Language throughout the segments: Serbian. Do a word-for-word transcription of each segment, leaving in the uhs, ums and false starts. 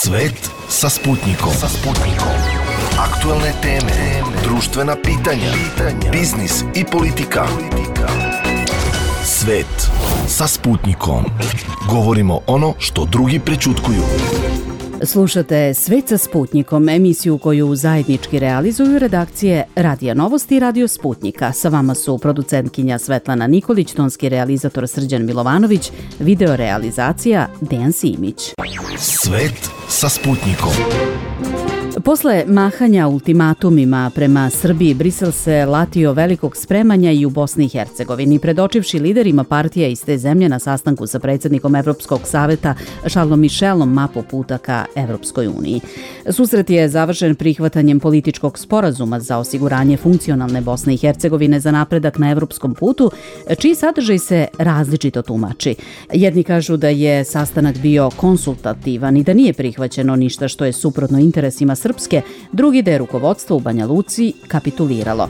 Svet sa Sputnikom. Sa Sputnikom. Aktuelne teme, društvena pitanja, biznis i politika. Svet sa Sputnikom. Govorimo ono što drugi prećutkuju. Slušate Svet sa Sputnikom, emisiju koju zajednički realizuju redakcije Radija Novosti i Radio Sputnika. Sa vama su producentkinja Svetlana Nikolić, tonski realizator Srđan Milovanović, video realizacija Dejan Simić. Svet sa Sputnikom. Posle mahanja ultimatumima prema Srbiji, Brisel se latio velikog spremanja i u Bosni i Hercegovini, predočivši liderima partija iz te zemlje na sastanku sa predsjednikom Evropskog saveta Charlesom Michelom mapu puta ka Evropskoj uniji. Susret je završen prihvatanjem političkog sporazuma za osiguranje funkcionalne Bosne i Hercegovine za napredak na evropskom putu, čiji sadržaj se različito tumači. Jedni kažu da je sastanak bio konsultativan i da nije prihvaćeno ništa što je suprotno interesima Srpske, drugi da je rukovodstvo u Banja Luci kapituliralo.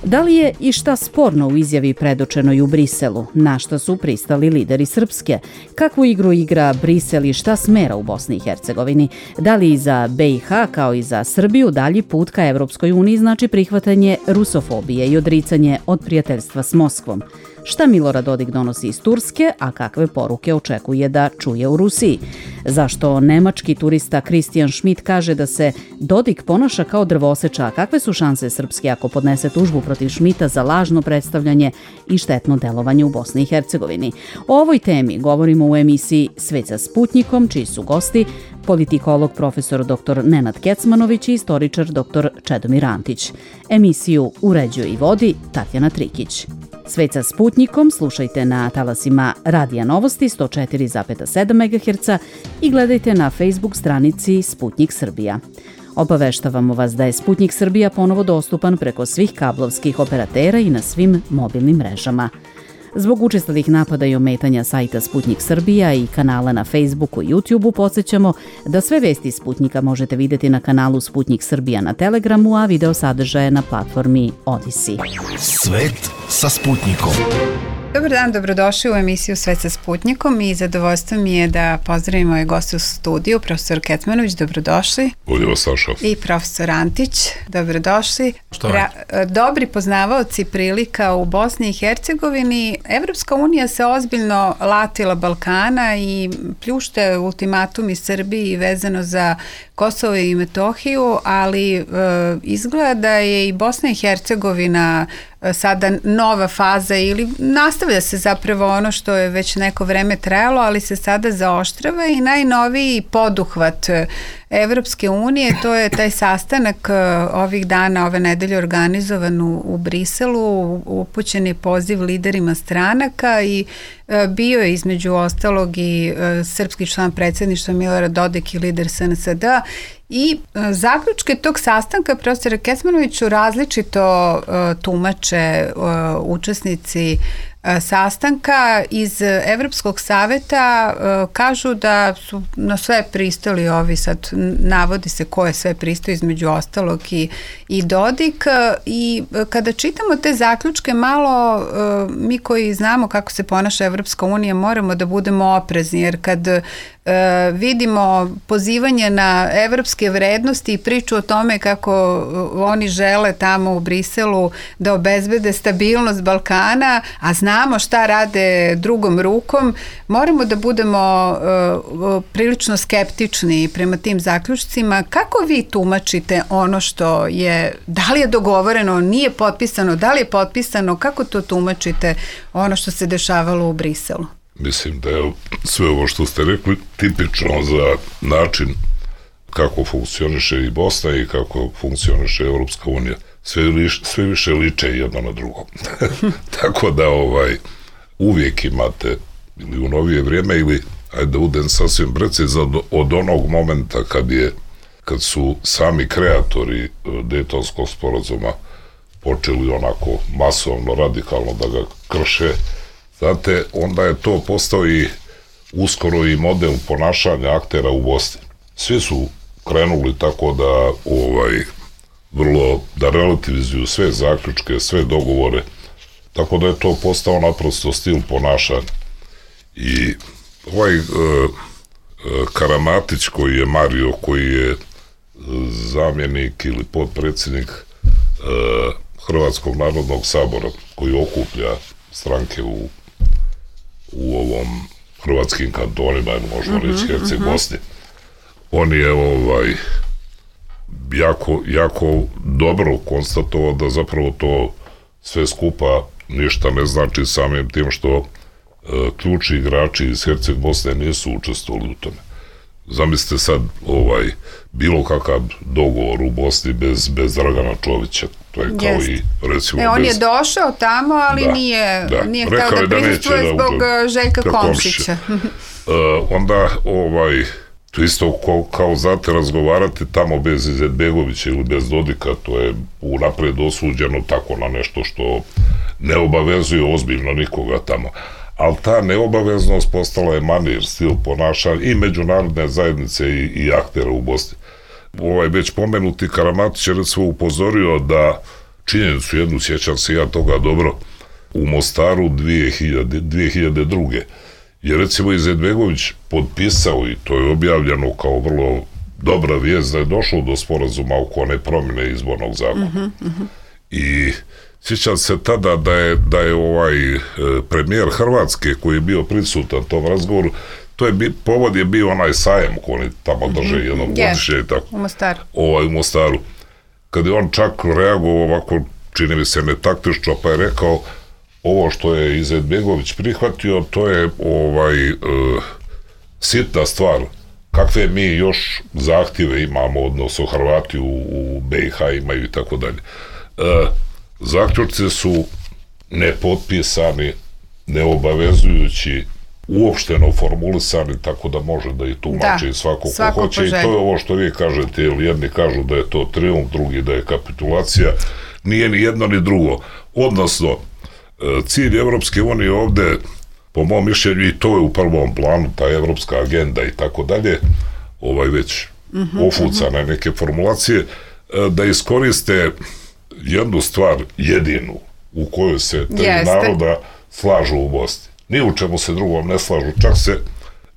Da li je i šta sporno u izjavi predočenoj u Briselu? Na šta su pristali lideri Srpske? Kakvu igru igra Brisel i šta smera u Bosni i Hercegovini? Da li i za B i H kao i za Srbiju dalji put ka Evropskoj uniji znači prihvatanje rusofobije i odricanje od prijateljstva s Moskvom? Šta Milorad Dodik donosi iz Turske, a kakve poruke očekuje da čuje u Rusiji? Zašto nemački turista Christian Schmidt kaže da se Dodik ponaša kao drvoseča, a kakve su šanse Srpske ako podnese tužbu protiv Schmidta za lažno predstavljanje i štetno delovanje u Bosni i Hercegovini? O ovoj temi govorimo u emisiji Svet sa Sputnikom, čiji su gosti politikolog profesor doktor Nenad Kecmanović i istoričar doktor Čedomir Antić. Emisiju uređuje i vodi Tatjana Trikić. Svet sa Sputnikom slušajte na talasima Radija Novosti sto četiri zarez sedam megaherca i gledajte na Facebook stranici Sputnik Srbija. Obaveštavamo vas da je Sputnik Srbija ponovo dostupan preko svih kablovskih operatera i na svim mobilnim mrežama. Zbog učestalih napada i ometanja sajta Sputnik Srbija i kanala na Facebooku i YouTubeu podsjećamo da sve vesti Sputnika možete vidjeti na kanalu Sputnik Srbija na Telegramu, a video sadržaje na platformi Odisi. Svet sa Sputnikom. Dobar dan, dobrodošli u emisiju Svet sa Sputnikom i zadovoljstvo mi je da pozdravimo ove goste u studiju, profesor Kecmanović, dobrodošli. Bolje vas, Saša. I profesor Antić, dobrodošli. Šta je? Dobri poznavaoci prilika u Bosni i Hercegovini. Evropska unija se ozbiljno latila Balkana i pljušte ultimatum iz Srbiji vezano za Kosovo i Metohiju, ali e, izgleda da je i Bosna i Hercegovina sada nova faza ili nastavlja se zapravo ono što je već neko vreme trajalo, ali se sada zaoštrava i najnoviji poduhvat Evropske unije, to je taj sastanak ovih dana, ove nedelje organizovan u, u Briselu, upućen je poziv liderima stranaka i bio je između ostalog i srpski član predsjedništva Milorad Dodik i lider S N S D i zaključke tog sastanka profesora Kecmanoviću različito uh, tumače uh, učesnici uh, sastanka iz Evropskog saveta. Uh, kažu da su na sve pristali ovi, sad navodi se ko je sve pristao, između ostalog i, i Dodik, uh, i kada čitamo te zaključke malo, uh, mi koji znamo kako se ponaša Evropska unija moramo da budemo oprezni, jer kad Uh, vidimo pozivanje na evropske vrednosti i priču o tome kako uh, oni žele tamo u Briselu da obezbede stabilnost Balkana, a znamo šta rade drugom rukom, moramo da budemo uh, uh, prilično skeptični prema tim zaključcima. Kako vi tumačite ono što je, da li je dogovoreno, nije potpisano, da li je potpisano, kako to tumačite ono što se dešavalo u Briselu? Mislim da je sve ovo što ste rekli tipično za način kako funkcioniše i Bosna i kako funkcioniše Evropska unija. Sve, liš, sve više liče jedno na drugo. Tako da ovaj uvijek imate ili u novije vrijeme ili, ajde da budem sasvim precizan, od onog momenta kad je kad su sami kreatori Dejtonskog sporazuma počeli onako masovno, radikalno da ga krše, znate, onda je to postao i uskoro i model ponašanja aktera u Bosni. Svi su krenuli tako da ovaj vrlo da relativizuju sve zaključke, sve dogovore, tako da je to postao naprosto stil ponašanja. I ovaj e, Karamatić koji je Mario, koji je zamjenik ili potpredsjednik Hrvatskog narodnog sabora, koji okuplja stranke u, u ovom hrvatskim kantonima, možemo reći mm-hmm, Herceg Bosni. On je ovaj jako, jako dobro konstatovao da zapravo to sve skupa ništa ne znači, samim tim što e, ključni igrači iz Herceg Bosne nisu učestvovali u tome. Zamislite sad ovaj bilo kakav dogovor u Bosni bez, bez Dragana Čovića. To je kao Jest. i recimo e, on bez... je došao tamo, ali da, nije, da. nije htio da prisustvuje zbog da Željka Komšića. e, onda ovaj to isto kao, kao znate razgovarati tamo bez Izetbegovića ili bez Dodika, to je unapred osuđeno tako na nešto što ne obavezuje ozbiljno nikoga tamo. Ali ta neobaveznost postala je manir, stil ponašanja i međunarodne zajednice i, i aktera u Bosni. Ovaj već pomenuti Karamatić je recimo upozorio da činjenicu jednu, sjećam se ja toga dobro, u Mostaru dvije hiljade druge je recimo Izetbegović potpisao, i to je objavljeno kao vrlo dobra vijest, da je došlo do sporazuma oko one promjene izbornog zakona. Uh-huh, uh-huh. I sjećam se tada da je, da je ovaj e, premijer Hrvatske koji je bio prisutan tom razgovoru, to je bi, povod je bio onaj sajem koji oni tamo drže mm-hmm. jednom yes. godišnje i tako. U Mostaru. Ovaj, u Mostaru. Kad je on čak reagovao ovako, čini mi se netaktično, pa je rekao ovo što je Izetbegović prihvatio, to je ovaj e, sitna stvar. Kakve mi još zahtjeve imamo, odnosno Hrvati u, u B i H imaju i tako dalje. Zaključci su nepotpisani, neobavezujući, uopšteno formulisani, tako da može da i tumači da, svako ko hoće. I to je ovo što vi kažete, jer jedni kažu da je to trijumf, drugi da je kapitulacija. Nije ni jedno ni drugo. Odnosno, cilj Evropske unije ovde, po mom mišljenju, i to je u prvom planu, ta evropska agenda i tako dalje, ovaj već mm-hmm, ofucane mm-hmm. neke formulacije, da iskoriste jednu stvar jedinu u kojoj se tri Jeste. naroda slažu u Bosni. Ni u čemu se drugom ne slažu, čak se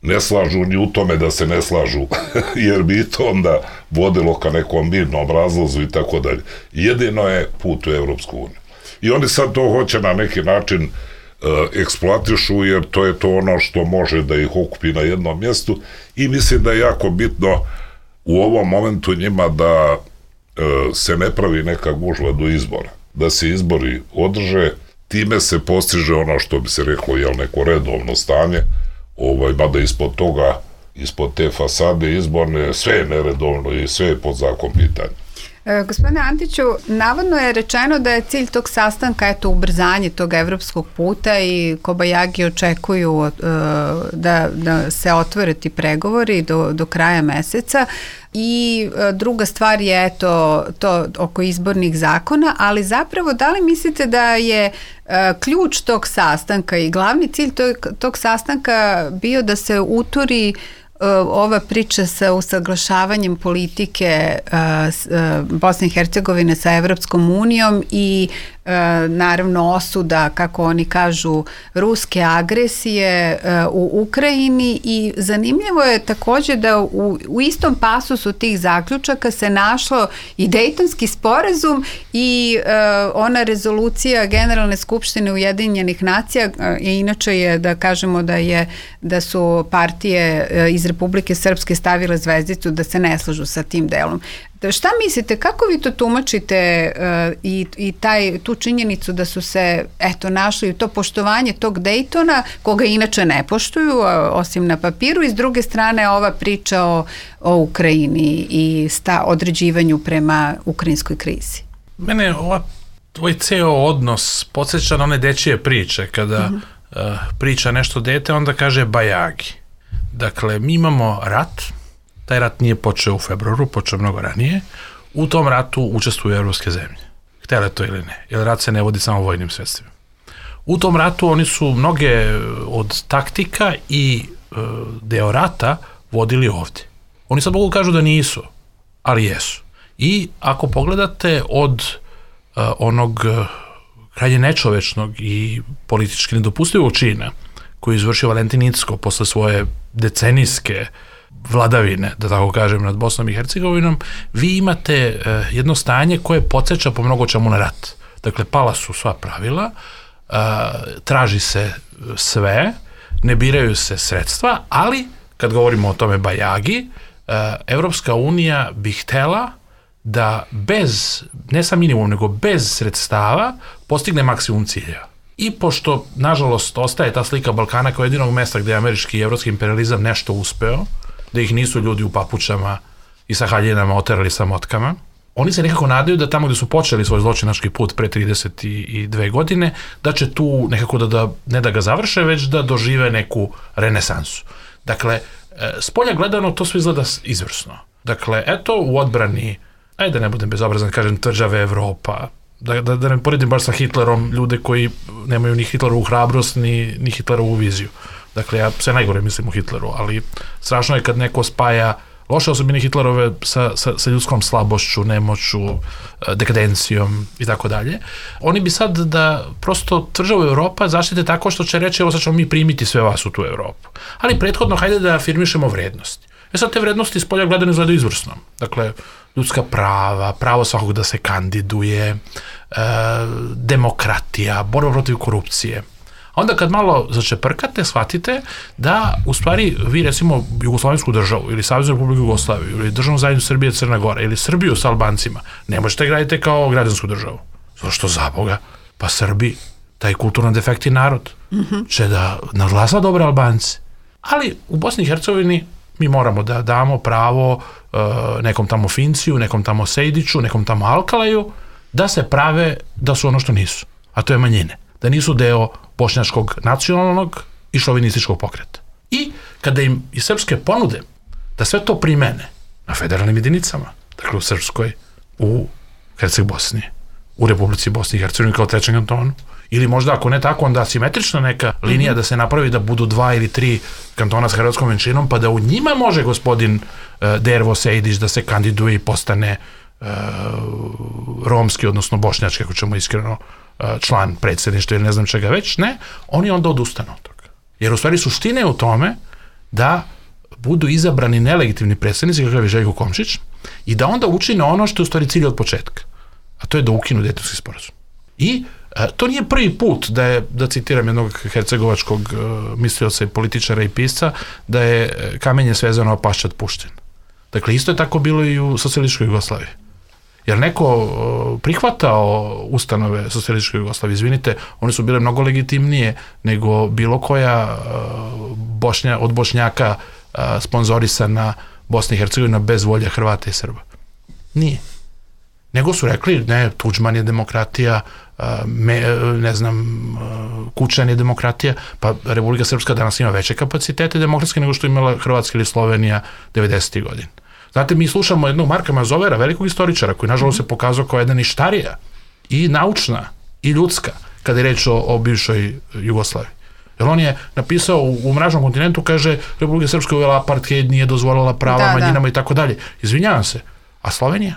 ne slažu ni u tome da se ne slažu, jer bi to onda vodilo ka nekom mirnom razlazu i tako dalje. Jedino je put u Evropsku uniju. I oni sad to hoće na neki način uh, eksploatišu, jer to je to ono što može da ih okupi na jednom mjestu, i mislim da je jako bitno u ovom momentu njima da uh, se ne pravi neka gužva do izbora, da se izbori održe, time se postiže ono što bi se reklo, jel, neko redovno stanje, ovaj, mada ispod toga, ispod te fasade izborne, sve je neredovno i sve je pod zakon pitanja. E, gospodine Antiću, navodno je rečeno da je cilj tog sastanka eto ubrzanje tog evropskog puta i Kobajagi očekuju e, da, da se otvore ti pregovori do, do kraja meseca. I e, druga stvar je eto to oko izbornih zakona, ali zapravo da li mislite da je e, ključ tog sastanka i glavni cilj tog, tog sastanka bio da se uturi ova priča sa usaglašavanjem politike uh, Bosne i Hercegovine sa Evropskom unijom i uh, naravno osuda, kako oni kažu, ruske agresije uh, u Ukrajini, i zanimljivo je također da u, u istom pasusu tih zaključaka se našlo i Dejtonski sporazum i uh, ona rezolucija Generalne skupštine Ujedinjenih nacija, uh, i inače je da kažemo da je da su partije uh, iz Republike Srpske stavile zvezdicu da se ne slažu sa tim delom. Da, šta mislite, kako vi to tumačite uh, i, i taj, tu činjenicu da su se eto našli to poštovanje tog Dejtona, koga inače ne poštuju, uh, osim na papiru, i s druge strane ova priča o, o Ukrajini i sta, određivanju prema ukrajinskoj krizi? Mene ova, tvoj ceo odnos podsjeća na one dečije priče, kada uh-huh. uh, priča nešto dete, onda kaže Bajagi. Dakle, mi imamo rat, taj rat nije počeo u februaru, počeo mnogo ranije, u tom ratu učestvuju evropske zemlje, htjele to ili ne, jer rat se ne vodi samo vojnim sredstvima. U tom ratu oni su mnoge od taktika i e, deo rata vodili ovdje. Oni sad mogu kažu da nisu, ali jesu. I ako pogledate od e, onog krajnje nečovečnog i politički nedopustivog čina koji je izvršio Valentin Incko posle svoje decenijske vladavine, da tako kažem, nad Bosnom i Hercegovinom, vi imate uh, jedno stanje koje podsjeća po mnogo čemu na rat. Dakle, pala su sva pravila, uh, traži se sve, ne biraju se sredstva, ali kad govorimo o tome bajagi, uh, Evropska unija bi htela da bez, ne sa minimum, nego bez sredstava postigne maksimum ciljeva. I pošto, nažalost, ostaje ta slika Balkana kao jedinog mesta gde je američki i evropski imperializam nešto uspeo, da ih nisu ljudi u papučama i sa haljinama oterali sa motkama, oni se nekako nadaju da tamo gde su počeli svoj zločinački put pre trideset dve godine, da će tu nekako da, da ne da ga završe, već da dožive neku renesansu. Dakle, s polja gledano to sve izgleda izvrsno. Dakle, eto, u odbrani, ajde da ne budem bezobrazan, kažem, tvrđave Evropa, da, da, da ne poredim baš sa Hitlerom ljude koji nemaju ni Hitlerovu hrabrost, ni, ni Hitlerovu viziju. Dakle, ja sve najgore mislim u Hitleru, ali strašno je kad neko spaja loše osobine Hitlerove sa, sa, sa ljudskom slabošću, nemoću, dekadencijom i tako dalje. Oni bi sad da prosto tvrđavu Evropa zaštite tako što će reći, evo sad ćemo mi primiti sve vas u tu Evropu. Ali prethodno, hajde da afirmišemo vrednosti. E sad te vrednosti iz polja gledane izgledaju izvrsno. Dakle, ljudska prava, pravo svakog da se kandiduje, e, demokratija, borba protiv korupcije. A onda kad malo začeprkate, shvatite da u stvari vi recimo Jugoslavensku državu ili Saveznu Republiku Jugoslaviju ili državnu zajednicu Srbije Crna Gora ili Srbiju sa Albancima ne možete graditi kao građansku državu. Zašto za Boga? Pa Srbi, taj kulturno defekti narod, mm-hmm. će da nadglasa dobre Albance. Ali u Bosni i Hercegovini mi moramo da damo pravo uh, nekom tamo Finciju, nekom tamo Sejdiću, nekom tamo Alkalaju, da se prave da su ono što nisu, a to je manjine. Da nisu deo bošnjačkog nacionalnog i šovinističkog pokreta. I kada im i srpske ponude da sve to primene na federalnim jedinicama, dakle u Srpskoj, u Herceg Bosni, u Republici Bosni i Hercegovini kao trećem kantonu, ili možda ako ne tako, onda asimetrična neka linija mm-hmm. da se napravi da budu dva ili tri kantona s hrvatskom menšinom, pa da u njima može gospodin uh, Dervo Sejdić da se kandiduje i postane uh, romski, odnosno bošnjački, ako ćemo iskreno, uh, član predsjedništva ili ne znam čega već, ne, oni onda odustanu od toga. Jer u stvari suština je u tome da budu izabrani nelegitimni predsjednici, kakav je Željko Komšić, i da onda učine ono što je u stvari cilj od početka, a to je da ukinu Dejtonski sporazum. I E, to nije prvi put da je, da citiram jednog hercegovačkog uh, mislioca i političara i pisca, da je kamenje svezano, a paščad pušten. Dakle, isto je tako bilo i u socijalističkoj Jugoslaviji. Jer neko uh, prihvatao ustanove socijalističke Jugoslavije, izvinite, one su bile mnogo legitimnije nego bilo koja uh, Bošnja, od Bošnjaka uh, sponzorisana Bosna i Hercegovina bez volje Hrvata i Srba. Nije. Nego su rekli, ne, Tuđman je demokratija, me, ne znam, Kučan je demokratija, pa Republika Srpska danas ima veće kapacitete demokratske nego što je imala Hrvatska ili Slovenija devedesetih godina. Znate, mi slušamo jednog Marka Mazovera, velikog istoričara, koji nažalost se pokazao kao jedna ništarija, i naučna, i ljudska, kada je reč o, o bivšoj Jugoslaviji. Jer on je napisao u, u Mračnom kontinentu, kaže, Republika Srpska uvela apartheid, nije dozvolila prava da, manjinama da. I tako dalje. Izvinjavam se, a Slovenija?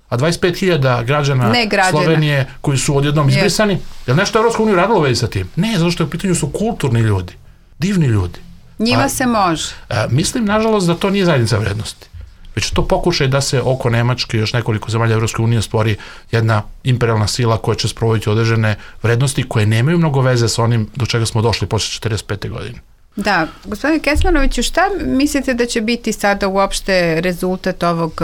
A dvadeset pet hiljada građana Slovenije koji su odjednom izbrisani, je li nešto Evropska unija radilo već sa tim? Ne, zato što u pitanju su kulturni ljudi, divni ljudi. Njima a, se može. A, mislim, nažalost, da to nije zajednica vrednosti. Već to pokušaj da se oko Nemačke i još nekoliko zemalja Evropske unije stvori jedna imperialna sila koja će sprovoditi određene vrednosti koje nemaju mnogo veze sa onim do čega smo došli posle četrdeset pete godine. Da, gospodine Kecmanoviću, šta mislite da će biti sada uopšte rezultat ovog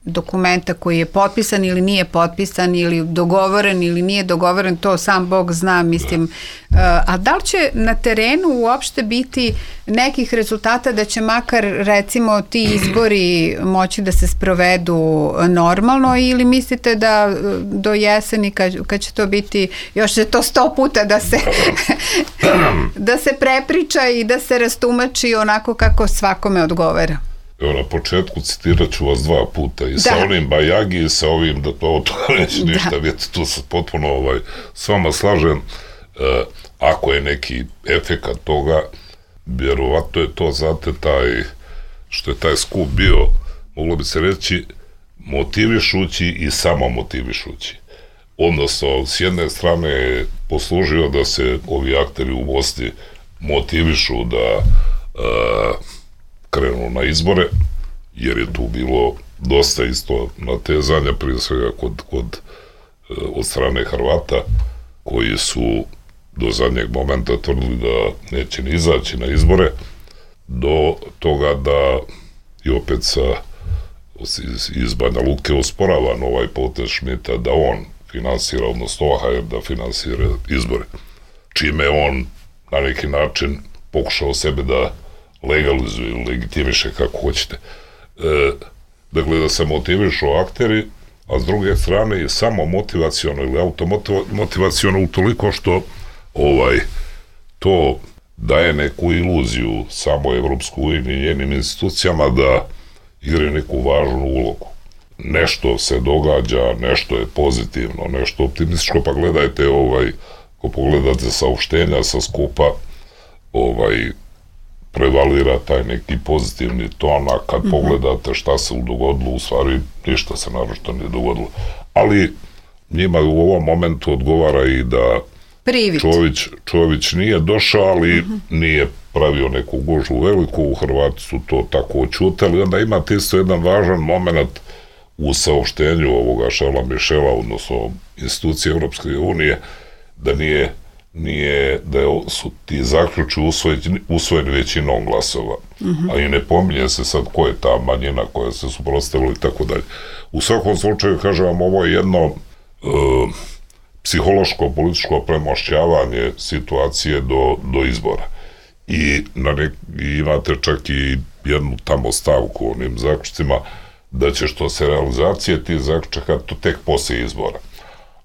dokumenta koji je potpisan ili nije potpisan ili dogovoren ili nije dogovoren, to sam Bog zna, mislim. A da li će na terenu uopšte biti nekih rezultata da će makar recimo ti izbori moći da se sprovedu normalno, ili mislite da do jeseni kad, kad će to biti, još će to sto puta da se da se prepriča i da se rastumači onako kako svakome odgovara? Evo, na početku citirat ću vas dva puta i da. Sa onim bajagi i sa ovim da to, to neće ništa, da. Vidite, tu se potpuno ovaj, s vama slažem. E, ako je neki efekat toga, vjerovatno je to, znate, taj, što je taj skup bio, moglo bi se reći, motivišući i samo motivišući. Odnosno, s jedne strane je poslužio da se ovi akteri u Bosni motivišu da e, krenu na izbore, jer je tu bilo dosta isto natezanja, prije svega kod, kod, od strane Hrvata, koji su do zadnjeg momenta tvrdili da neće ni izaći na izbore, do toga da i opet sa iz, iz Banja Luke osporavan ovaj potez Šmita da on finansira, odnosno O H R da finansira izbore, čime on na neki način pokušao sebe da legalizuje ili legitimiše, kako hoćete. E, dakle, da se motivišu akteri, a s druge strane je samo motivaciono ili automotivaciono utoliko što ovaj, to daje neku iluziju samo Evropsku uniju i njenim institucijama da igraju neku važnu ulogu. Nešto se događa, nešto je pozitivno, nešto optimističko, pa gledajte, ovaj, ako pogledate saopštenja sa skupa, ovaj, prevalira taj neki pozitivni ton, a kad mm-hmm. pogledate šta se dogodilo, u stvari ništa se naročito nije dogodilo. Ali njima u ovom momentu odgovara i da Čović, Čović nije došao, ali mm-hmm. nije pravio neku gužu veliku, u Hrvati su to tako očutali. Onda imate isto jedan važan moment u saopštenju ovoga Šarla Mišela, odnosno institucije Evropske unije, da nije nije da su ti zaključi usvojeni, usvojeni većinom glasova. Mm-hmm. A i ne pominje se sad ko je ta manjina koja se suprotstavila i tako dalje. U svakom slučaju, kažem vam, ovo je jedno e, psihološko, političko premošćavanje situacije do, do izbora. I, na nek, i imate čak i jednu tamo stavku u onim zaključcima da će što se realizacije tih zaključaka to tek poslije izbora.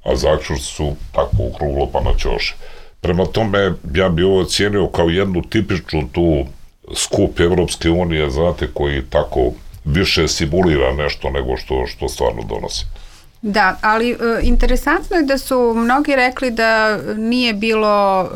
A zaključci su tako ukruglo pa na ćoše. Prema tome, ja bi ovo cijenio kao jednu tipičnu tu skup Evropske unije, znate, koji tako više simulira nešto nego što, što stvarno donosi. Da, ali e, interesantno je da su mnogi rekli da nije bilo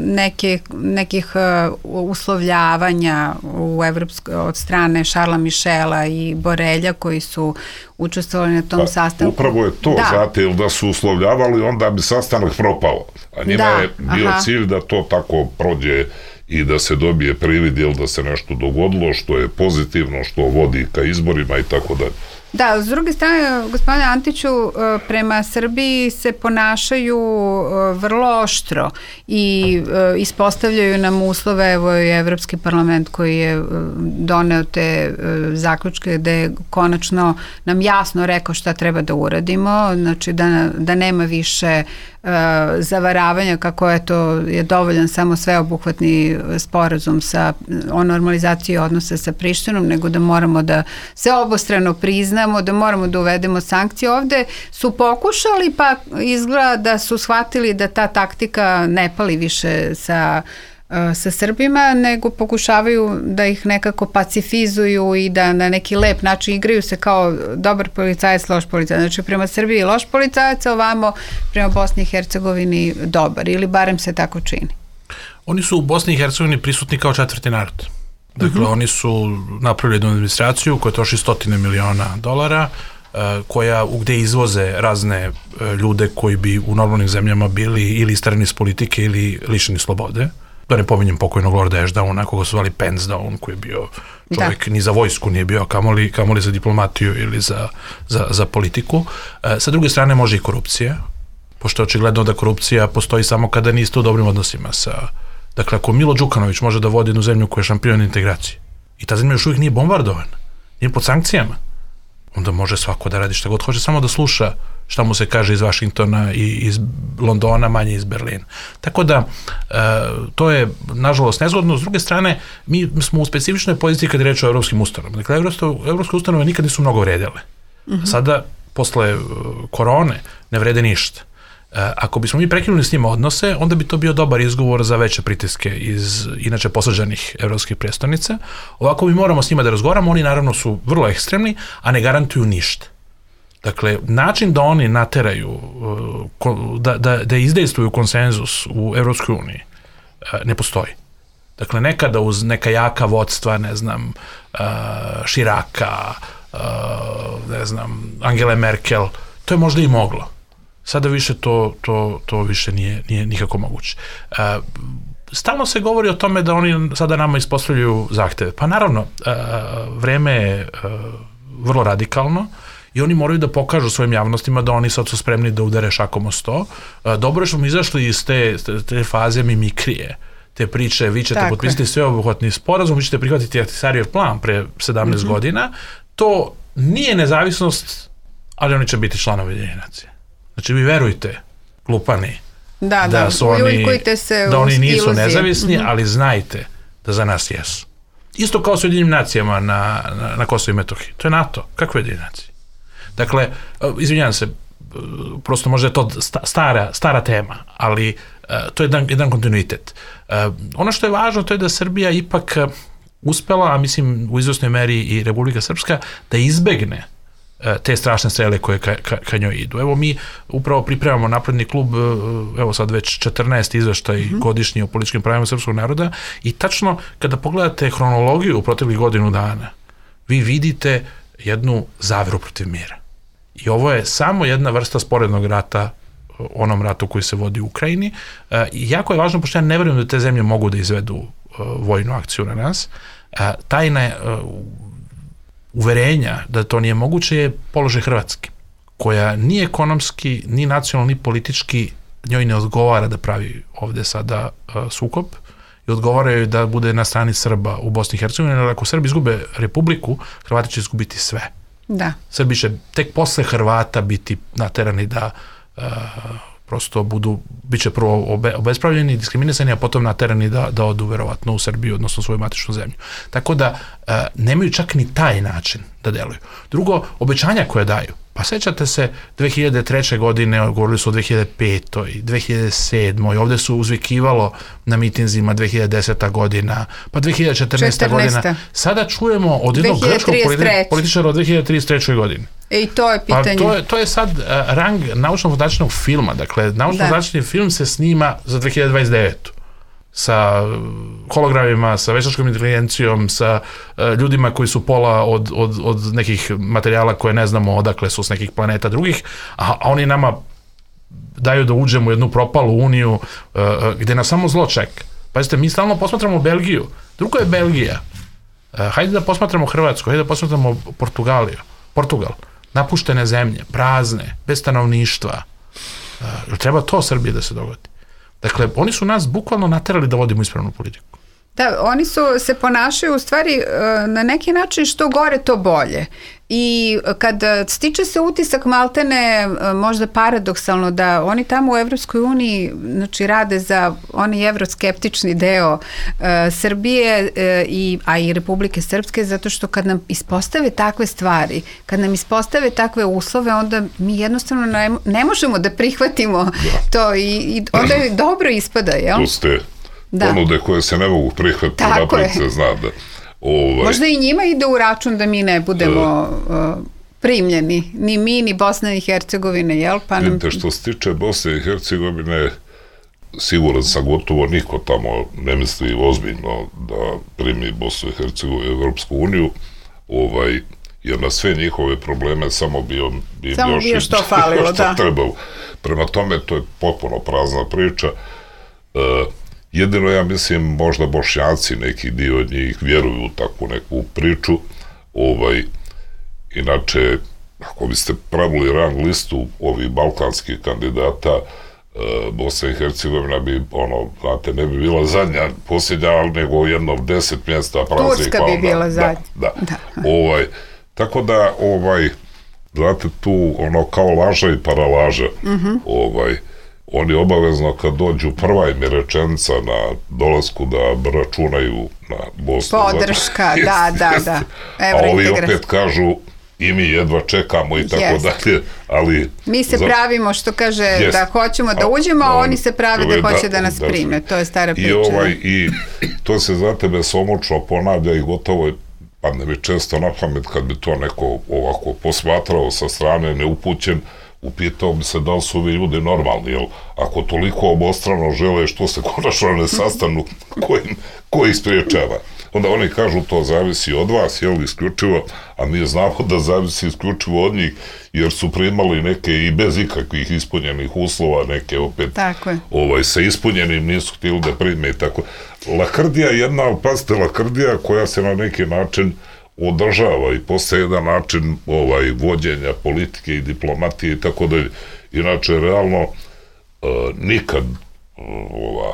neke, nekih e, uslovljavanja u Evropsko, od strane Šarla Mišela i Borelja koji su učestvovali na tom da, sastanku. Upravo je to, da. Znate, da su uslovljavali, onda bi sastanak propao. A njima da, je bio aha. cilj da to tako prođe i da se dobije privid, jel da se nešto dogodilo, što je pozitivno, što vodi ka izborima i tako dalje. Da, s druge strane, gospodine Antiću, prema Srbiji se ponašaju vrlo oštro i ispostavljaju nam uslove, evo je Evropski parlament koji je doneo te zaključke gde je konačno nam jasno rekao šta treba da uradimo, znači da, da nema više zavaravanja kako je to je dovoljan samo sveobuhvatni sporazum sa, o normalizaciji odnosa sa Prištinom, nego da moramo da se obostrano priznamo, da moramo da uvedemo sankcije. Ovde su pokušali, pa izgleda da su shvatili da ta taktika ne pali više sa sa Srbima, nego pokušavaju da ih nekako pacifizuju i da na neki lep način igraju se kao dobar policajac, loš policajac. Znači prema Srbiji loš policajac, ovamo prema Bosni i Hercegovini dobar, ili barem se tako čini. Oni su u Bosni i Hercegovini prisutni kao četvrti narod. Dakle, uh-huh. oni su napravili jednu administraciju koja troši stotine miliona dolara, koja gde izvoze razne ljude koji bi u normalnim zemljama bili ili istarani iz politike ili lišeni slobode. Da ne pominjem pokojnog Lorda Ashdowna, koga su zvali Pensdown, koji je bio čovjek, da. Ni za vojsku nije bio, kamoli, kamoli za diplomatiju ili za, za, za politiku. E, sa druge strane može i korupcija, pošto je očigledno da korupcija postoji samo kada niste u dobrim odnosima sa... Dakle, ako Milo Đukanović može da vodi jednu zemlju koja je šampion integracije i ta zemlja još uvijek nije bombardovana, nije pod sankcijama, onda može svako da radi šta god hoće, samo da sluša šta mu se kaže iz Vašingtona i iz Londona, manje iz Berlina. Tako da, e, to je, nažalost, nezgodno. S druge strane, mi smo u specifičnoj poziciji kad je reč o evropskim ustanovama. Dakle, evropske ustanove nikad nisu mnogo vredele. Uh-huh. Sada, posle korone, ne vrede ništa. E, ako bismo mi prekinuli s njima odnose, onda bi to bio dobar izgovor za veće pritiske iz inače posađenih evropskih prestolnica. Ovako mi moramo s njima da razgovaramo, oni naravno su vrlo ekstremni, a ne garantuju ništa. Dakle, način da oni nateraju, da, da, da izdejstvuju konsenzus u Evropskoj uniji ne postoji. Dakle, nekada uz neka jaka vodstva, ne znam, Širaka, ne znam, Angele Merkel, to je možda i moglo. Sada više to, to, to više nije, nije nikako moguće. stalno se govori o tome da oni sada nama ispostavljaju zahteve. Pa naravno, vreme je vrlo radikalno i oni moraju da pokažu svojim javnostima da oni sad su spremni da udare šakom o sto. Dobro je što smo izašli iz te, te faze mimikrije, te priče, vi ćete Tako potpisati sveobuhvatni sporazum, vi ćete prihvatiti Ahtisarijev plan pre sedamnaest mm-hmm. godina. To nije nezavisnost, ali oni će biti članovi Ujedinjenih nacija. Znači, vi verujte, glupani, da, da, da, su oni, se da oni nisu iluzije. nezavisni, mm-hmm. ali znajte da za nas jesu. Isto kao s Ujedinjenim nacijama na, na, na Kosovo i Metohiji. To je NATO. Kakve Ujedinjene nacije? Dakle, izvinjam se, prosto možda je to stara, stara tema, ali to je jedan, jedan kontinuitet. Ono što je važno, to je da Srbija ipak uspela, a mislim u izvesnoj meri i Republika Srpska, da izbegne te strašne strele koje ka, ka, ka njoj idu. Evo mi upravo pripremamo napredni klub, evo sad već četrnaesti izveštaj mm-hmm. godišnji o političkim pravima srpskog naroda i tačno kada pogledate hronologiju u proteklih godinu dana, vi vidite jednu zaveru protiv mira. I ovo je samo jedna vrsta sporednog rata onom ratu koji se vodi u Ukrajini. I jako je važno, pošto ja ne verujem da te zemlje mogu da izvedu vojnu akciju na nas, tajna uverenja da to nije moguće je položaj Hrvatske, koja ni ekonomski, ni nacionalno, ni politički njoj ne odgovara da pravi ovde sada sukob i odgovaraju da bude na strani Srba u Bosni i Hercegovini, jer ako Srbi izgube republiku, Hrvati će izgubiti sve. Da. Srbi će tek posle Hrvata biti naterani da uh, prosto budu, bit će prvo obe, obespravljeni, diskriminisani, a potom naterani da, da odu verovatno u Srbiju, odnosno svoju matičnu zemlju. Tako da uh, nemaju čak ni taj način da deluju. Drugo, obećanja koje daju. Pa sećate se dve hiljade treće. godine, govorili su o dve hiljade petoj. dve hiljade sedmoj. Ovde su uzvikivalo na mitinzima dve hiljade deseta. godina, pa dve hiljade četrnaesta. godina. Sada čujemo od jednog grčkog političara od dve hiljade trideset treće. godine. E i to je pitanje. Pa to je, to je sad uh, rang naučno-fantastičnog filma. Dakle, naučno-fantastični film se snima za dve hiljade dvadeset devetu. Sa hologramima, sa veštačkom inteligencijom, sa uh, ljudima koji su pola od, od, od nekih materijala koje ne znamo odakle su s nekih planeta drugih, a, a oni nama daju da uđemo u jednu propalu uniju uh, gde nas samo zlo čeka. Pazite, mi stalno posmatramo Belgiju. Drugo je Belgija. Uh, hajde da posmatramo Hrvatsku, hajde da posmatramo Portugaliju. Portugal. Napuštene zemlje, prazne, bez stanovništva. Uh, treba to Srbije da se dogodi? Dakle, oni su nas bukvalno naterali da vodimo ispravnu politiku. Da, oni su se ponašaju u stvari na neki način što gore to bolje. I kad stiče se utisak maltene, možda paradoksalno, da oni tamo u Evropskoj uniji znači, rade za onaj evroskeptični deo uh, Srbije, uh, i, a i Republike Srpske, zato što kad nam ispostave takve stvari, kad nam ispostave takve uslove, onda mi jednostavno ne, ne možemo da prihvatimo da. to i, i onda je dobro ispada, jel? Tu ste da. ponude koje se ne mogu prihvatiti, napred se zna da Ovaj. Možda i njima ide u račun da mi ne budemo uh, primljeni, ni mi, ni Bosna i Hercegovine, jel? Pa nam... Vidite, što se tiče Bosne i Hercegovine, siguran sam gotovo niko tamo ne misli ozbiljno da primi Bosnu i Hercegovinu u Evropsku uniju, ovaj, jer na sve njihove probleme samo bi, on, bi samo još bio što falilo, što da. trebalo. Prema tome, to je potpuno prazna priča. Uh, Jedino, ja mislim, možda Bošnjaci, neki dio od njih vjeruju u takvu neku priču. Ovaj, inače, ako biste pravili rang listu ovih balkanskih kandidata, Bosna i Hercegovina bi, ono, znate, ne bi bila zadnja, posljednja, ali nego jednom deset mjesta praznih. Turska bi bila zadnja. Da, da. da. Ovaj, tako da, ovaj, znate, tu, ono, kao laža i paralaža, mm-hmm. ovaj, oni obavezno kad dođu, prva im je rečenica na dolasku da računaju na Bosnu. Podrška, da, da, da. Evo, a ovi opet kažu i mi jedva čekamo i tako yes. dalje, ali... Mi se za... pravimo, što kaže, yes. da hoćemo da uđemo, a, a oni se prave da, da hoće da, da nas da, prime. To je stara priča. I, ovaj, i to se, znate, besomučno ponavlja i gotovo je, padne mi često na pamet kad bi to neko ovako posmatrao sa strane, neupućen, upitao bi se da li su ovi ljudi normalni, jel? Ako toliko obostrano žele, što se konačno ne sastanu, ko, im, ko ih spriječava? Onda oni kažu to zavisi od vas, jel, isključivo, a mi znamo da zavisi isključivo od njih, jer su primali neke i bez ikakvih ispunjenih uslova, neke opet ovaj, sa ispunjenim nisu htjeli da prime i tako. Lakrdija je jedna, ali pazite, lakrdija koja se na neki način održava i postaje jedan način ovaj, vođenja politike i diplomatije i tako dalje. Inače, realno, uh, nikad uh, ova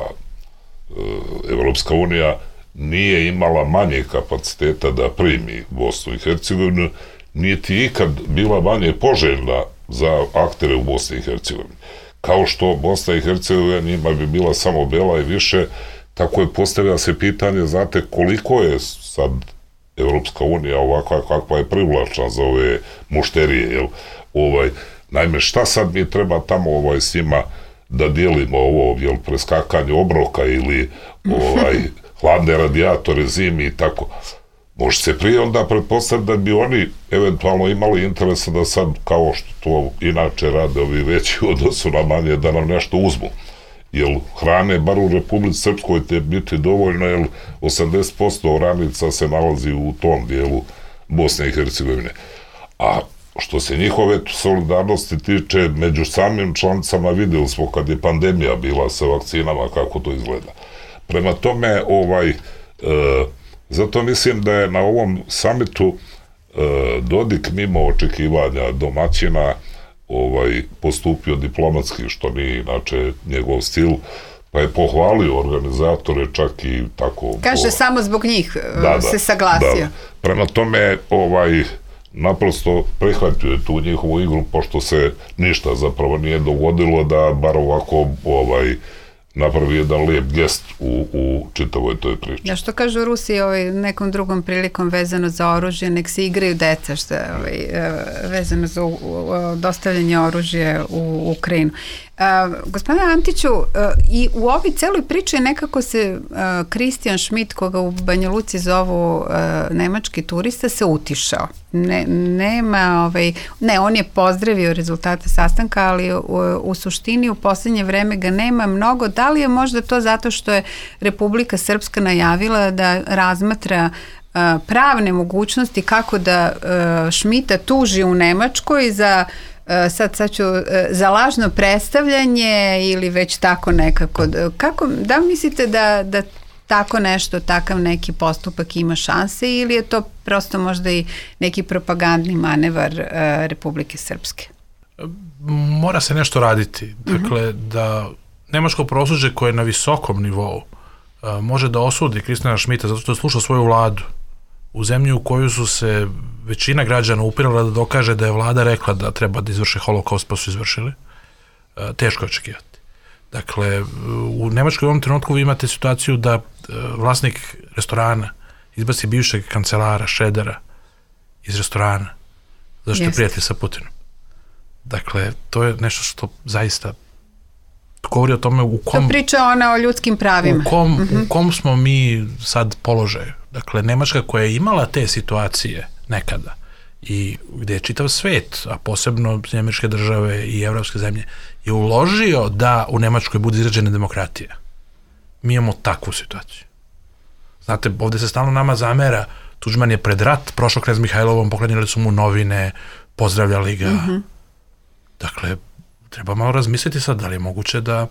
uh, Evropska unija nije imala manje kapaciteta da primi Bosnu i Hercegovinu, niti ikad bila manje poželjna za aktere u Bosni i Hercegovini. Kao što Bosna i Hercegovina njima bi bila samo bela i više, tako je postavlja se pitanje, znate, koliko je sad Evropska unija ovakva kakva je privlačna za ove mušterije, jel? Ovaj, naime, šta sad mi treba tamo ovaj, s njima da dijelimo ovo, jel, preskakanje obroka ili ovaj, hladne radijatore zimi i tako. Može se prije onda pretpostaviti da bi oni eventualno imali interesa da sad, kao što to inače rade ovi veći u odnosu na manje, da nam nešto uzmu. Jer hrane, bar u Republici Srpskoj, te biti dovoljno, jer osamdeset posto oranica se nalazi u tom dijelu Bosne i Hercegovine. A što se njihove solidarnosti tiče, među samim članicama vidjeli smo kad je pandemija bila sa vakcinama, kako to izgleda. Prema tome, ovaj, e, zato mislim da je na ovom samitu e, Dodik mimo očekivanja domaćina ovaj, postupio diplomatski, što nije inače njegov stil, pa je pohvalio organizatore, čak i tako... Kaže, po... samo zbog njih da, se da, saglasio. Da. Prema tome, ovaj, naprosto prihvatio je tu njihovu igru, pošto se ništa zapravo nije dogodilo, da bar ovako ovaj, napravi jedan lijep gest u, u čitavoj toj priči. Ja, što kažu Rusi ovaj, nekom drugom prilikom vezano za oružje, nek se igraju deca, što je ovaj, vezano za u, u, dostavljanje oružja u Ukrajinu. Uh, gospodine Antiću, uh, i u ovoj celoj priči nekako se Kristijan Schmidt, koga u Banja Luci zovu uh, nemački turista, se utišao. Ne, nema, ovaj, ne, on je pozdravio rezultate sastanka, ali u, u suštini u posljednje vreme ga nema mnogo. Da li je možda to zato što je Republika Srpska najavila da razmatra uh, pravne mogućnosti kako da uh, Schmidta tuži u Nemačkoj za sad, sad ću, za lažno predstavljanje ili već tako nekako. Kako, da mislite da, da tako nešto, takav neki postupak ima šanse ili je to prosto možda i neki propagandni manevar uh, Republike Srpske? Mora se nešto raditi. Dakle, uh-huh. da nemačko pravosuđe koje je na visokom nivou uh, može da osudi Kristijana Schmidta zato što je slušao svoju vladu u zemlji u koju su se većina građana upirala da dokaže da je vlada rekla da treba da izvrše holokaust, pa su izvršili, teško je očekivati. Dakle, u Nemačkoj u ovom trenutku vi imate situaciju da vlasnik restorana izbaci bivšeg kancelara Šredera iz restorana, zašto je prijatelj sa Putinom. Dakle, to je nešto što zaista govori o tome u kom... To priča ona o ljudskim pravima. U kom, mm-hmm. u kom smo mi sad položaju. Dakle, Nemačka koja je imala te situacije nekada i gde je čitav svet, a posebno Američke države i evropske zemlje, je uložio da u Nemačkoj bude izrađena demokratija. Mi imamo takvu situaciju. Znate, ovde se stalno nama zamera, Tuđman je pred rat prošao knez Mihajlovom, poklanjali su mu novine, pozdravljali ga. Mm-hmm. Dakle, treba malo razmisliti sad da li je moguće da,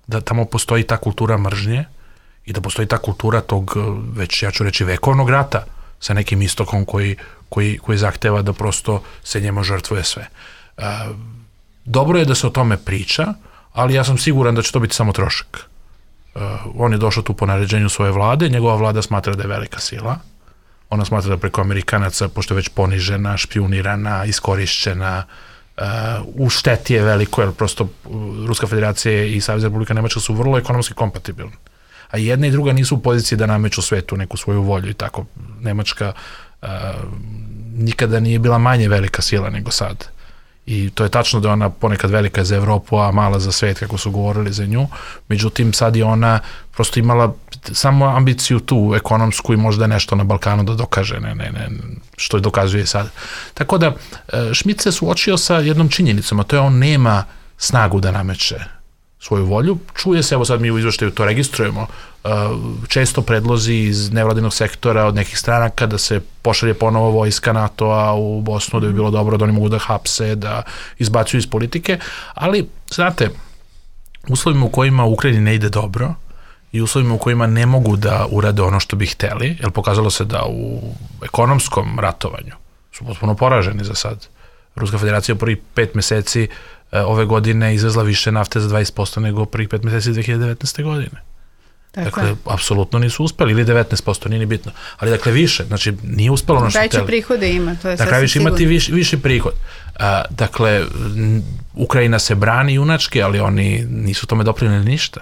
da tamo postoji ta kultura mržnje i da postoji ta kultura tog, već ja ću reći, vekovnog rata sa nekim istokom koji, koji, koji zahteva da prosto se njemu žrtvuje sve. E, dobro je da se o tome priča, ali ja sam siguran da će to biti samo trošak. E, on je došao tu po naređenju svoje vlade, njegova vlada smatra da je velika sila, ona smatra da preko Amerikanaca, pošto je već ponižena, špijunirana, iskorišćena, Uh, u šteti je veliko, jer prosto Ruska federacija i Savezna Republika Nemačka su vrlo ekonomski kompatibilni. A jedna i druga nisu u poziciji da nameću svetu neku svoju volju i tako. Nemačka uh, nikada nije bila manje velika sila nego sad. I to je tačno da je ona ponekad velika za Evropu, a mala za svet, kako su govorili za nju. Međutim, sad je ona prosto imala samo ambiciju tu ekonomsku i možda nešto na Balkanu da dokaže, ne, ne, ne, što je dokazuje sad. Tako da, Schmidt se suočio sa jednom činjenicom, a to je on nema snagu da nameće svoju volju. Čuje se, evo sad mi u izveštaju to registrujemo, često predlozi iz nevladinog sektora od nekih stranaka da se pošalje ponovo vojska NATO-a u Bosnu, da bi bilo dobro da oni mogu da hapse, da izbacuju iz politike, ali, znate, uslovima u kojima u Ukrajini ne ide dobro i uslovima u kojima ne mogu da urade ono što bi hteli, jer pokazalo se da u ekonomskom ratovanju su potpuno poraženi za sad. Ruska federacija u prvih pet meseci ove godine izvezla više nafte za dvadeset posto nego prvih pet meseci dve hiljade devetnaeste. godine. Tako dakle, je. Apsolutno nisu uspeli, ili devetnaest posto, nije ni bitno. Ali dakle više, znači nije uspelo ono što veće prihode ima, to je sasvim sigurno. Dakle, imati viš, viši prihod. A, dakle, Ukrajina se brani junački, ali oni nisu tome doprineli ništa.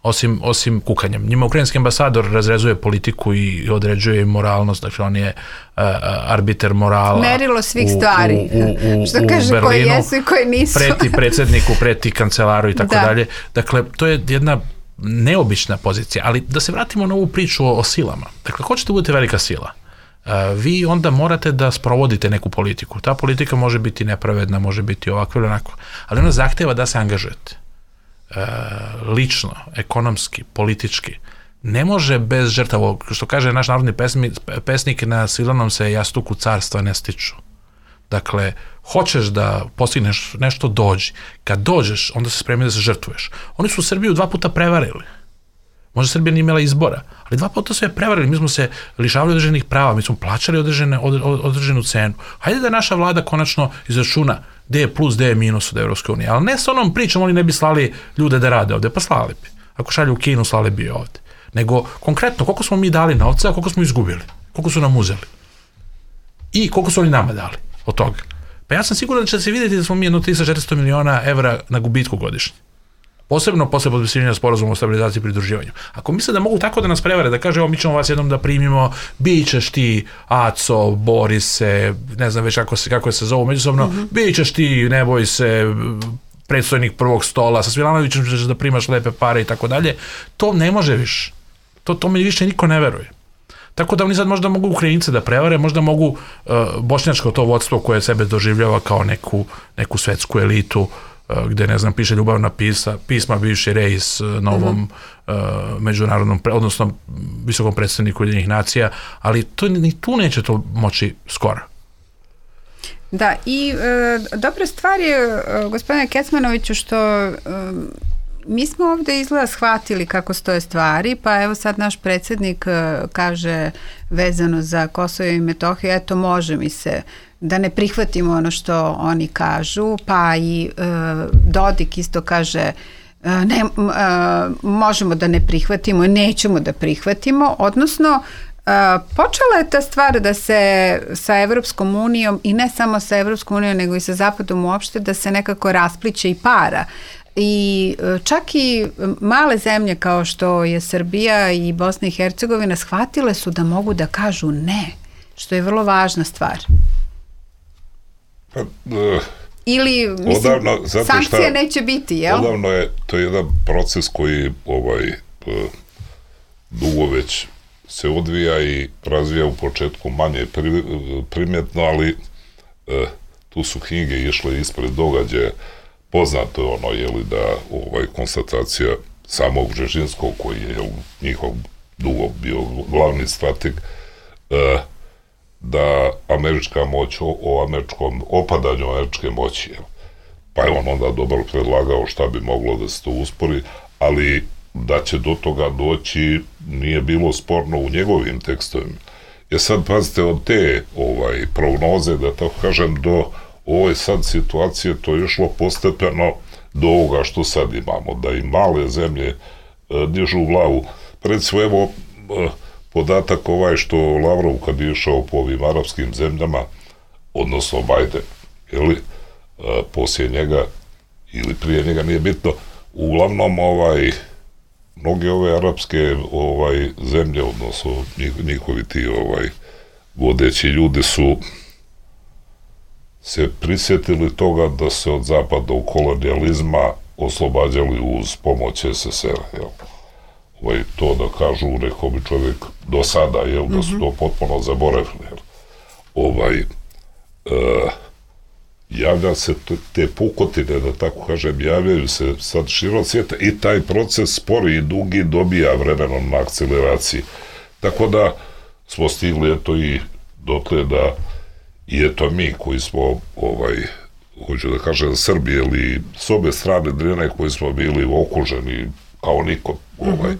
Osim, osim kukanjem. Njima ukrajinski ambasador razrezuje politiku i određuje im moralnost, dakle on je uh, arbiter morala. Merilo svih stvari. U, u, u, što u kaže Berlinu, koji jesu i koji nisu. Preti predsjedniku, preti kancelaru i tako da. dalje. Dakle, to je jedna neobična pozicija, ali da se vratimo na ovu priču o, o silama. Dakle, hoćete budete velika sila. Uh, vi onda morate da sprovodite neku politiku. Ta politika može biti nepravedna, može biti ovako ili onako, ali ona zahteva da se angažujete. Uh, lično, ekonomski, politički. Ne može bez žrtava, što kaže naš narodni pesmi, pesnik, na svilanom se jastuku carstva ne stiču. Dakle, hoćeš da postigneš nešto, dođi. Kad dođeš, onda se spremi da se žrtvuješ. Oni su Srbiju dva puta prevarili. Možda Srbija nije imala izbora, ali dva puta su je prevarili. Mi smo se lišavali određenih prava, mi smo plaćali određene, od, određenu cenu. Hajde da naša vlada konačno izračuna gde je plus, gde je minus od Evropske unije. Ali ne s onom pričom, oni ne bi slali ljude da rade ovde, pa slali bi. Ako šalju u Kinu, slali bi ovde. Nego, konkretno, koliko smo mi dali novca, a koliko smo izgubili? Koliko su nam uzeli? I koliko su oni nama dali od toga? Pa ja sam siguran da će se vidjeti da smo mi jedno tristo do četiristo miliona evra na gubitku godišnje. Posebno posle potpisivanja sporazuma o stabilizaciji i pridruživanju. Ako misle da mogu tako da nas prevare, da kaže, evo mi ćemo vas jednom da primimo, bit ćeš ti Aco, Borise, ne znam već kako se, kako se zovu međusobno, mm-hmm. bit ćeš ti, ne boj se, predstojnik prvog stola, sa Svilanovićem ćeš da primaš lepe pare i tako dalje, to ne može više. To, to mi više niko ne veruje. Tako da oni sad možda mogu Ukrajince da prevare, možda mogu uh, bošnjačko to vodstvo koje sebe doživljava kao neku, neku svetsku elitu, gde, ne znam, piše ljubavna pisa, pisma bivši rejs novom uh-huh. uh, međunarodnom, pre, odnosno visokom predstavniku Ujedinjenih nacija, ali to, ni tu neće to moći skoro. Da, i e, dobra stvar je, e, gospodine Kecmanoviću, što e, mi smo ovde izgleda shvatili kako stoje stvari, pa evo sad naš predsjednik e, kaže vezano za Kosovo i Metohiju, eto može mi se da ne prihvatimo ono što oni kažu, pa i e, Dodik isto kaže e, ne, e, možemo da ne prihvatimo, nećemo da prihvatimo, odnosno e, počela je ta stvar da se sa Evropskom unijom i ne samo sa Evropskom unijom nego i sa Zapadom uopšte da se nekako raspliće i para. I čak i male zemlje kao što je Srbija i Bosna i Hercegovina shvatile su da mogu da kažu ne, što je vrlo važna stvar. Pa, uh, ili mislim, odavno, sankcije šta, neće biti, jel? Odavno je, to je jedan proces koji ovaj, uh, dugo već se odvija i razvija u početku manje pri, primjetno, ali uh, tu su knjige išle ispred događaja. Poznato je ono, jeli, da ovaj, konstatacija samog Bžežinskog, koji je jel, njihov dugo bio glavni strateg, uh, da američka moć, o, o američkom opadanju američke moći, jel. Pa je on onda dobro predlagao šta bi moglo da se to uspori, ali da će do toga doći nije bilo sporno u njegovim tekstovima. Jer sad, pazite, od te ovaj, prognoze, da tako kažem, do ove sad situacije, to je išlo postepeno do ovoga što sad imamo, da i male zemlje e, dižu glavu. Recimo, evo, e, podatak ovaj što Lavrov kad je išao po ovim arapskim zemljama, odnosno Biden, jeli, e, poslije njega ili prije njega, nije bitno, uglavnom ovaj, mnoge ove arapske ovaj, zemlje, odnosno njih, njihovi ti ovaj, vodeći ljudi su se prisjetili toga da se od zapadnog kolonijalizma oslobađali uz pomoć es es er a, jel? Ovaj, to da kažu, rekao bi čovjek do sada, jel, da su to potpuno zaboravili, jel? Ovaj, e, javlja se te pukotine, da tako kažem, javljaju se sad širom svijeta i taj proces spori i dugi dobija vremenom na akceleraciji. Tako da smo stigli eto i dotle da i eto mi koji smo, ovaj, hoću da kažem, Srbi ili s obe strane Drine koji smo bili okuženi kao niko, ovaj,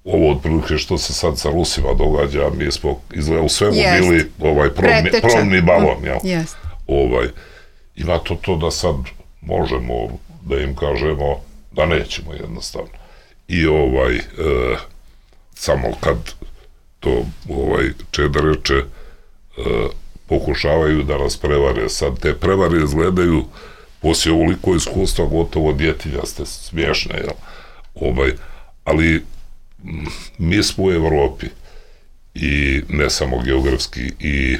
ovo otprilike što se sad sa Rusima događa, mi smo izgleda u svemu Jest. bili ovaj, probni, probni balon, jel? Jest. Ovaj, ima to to da sad možemo da im kažemo da nećemo jednostavno. I ovaj, e, samo kad to ovaj, Čeda reče, e, pokušavaju da nas prevare. Sad te prevare izgledaju poslije ovoliko iskustva gotovo djetinjaste, smiješne, jel? Ovaj, ali m, mi smo u Evropi i ne samo geografski, i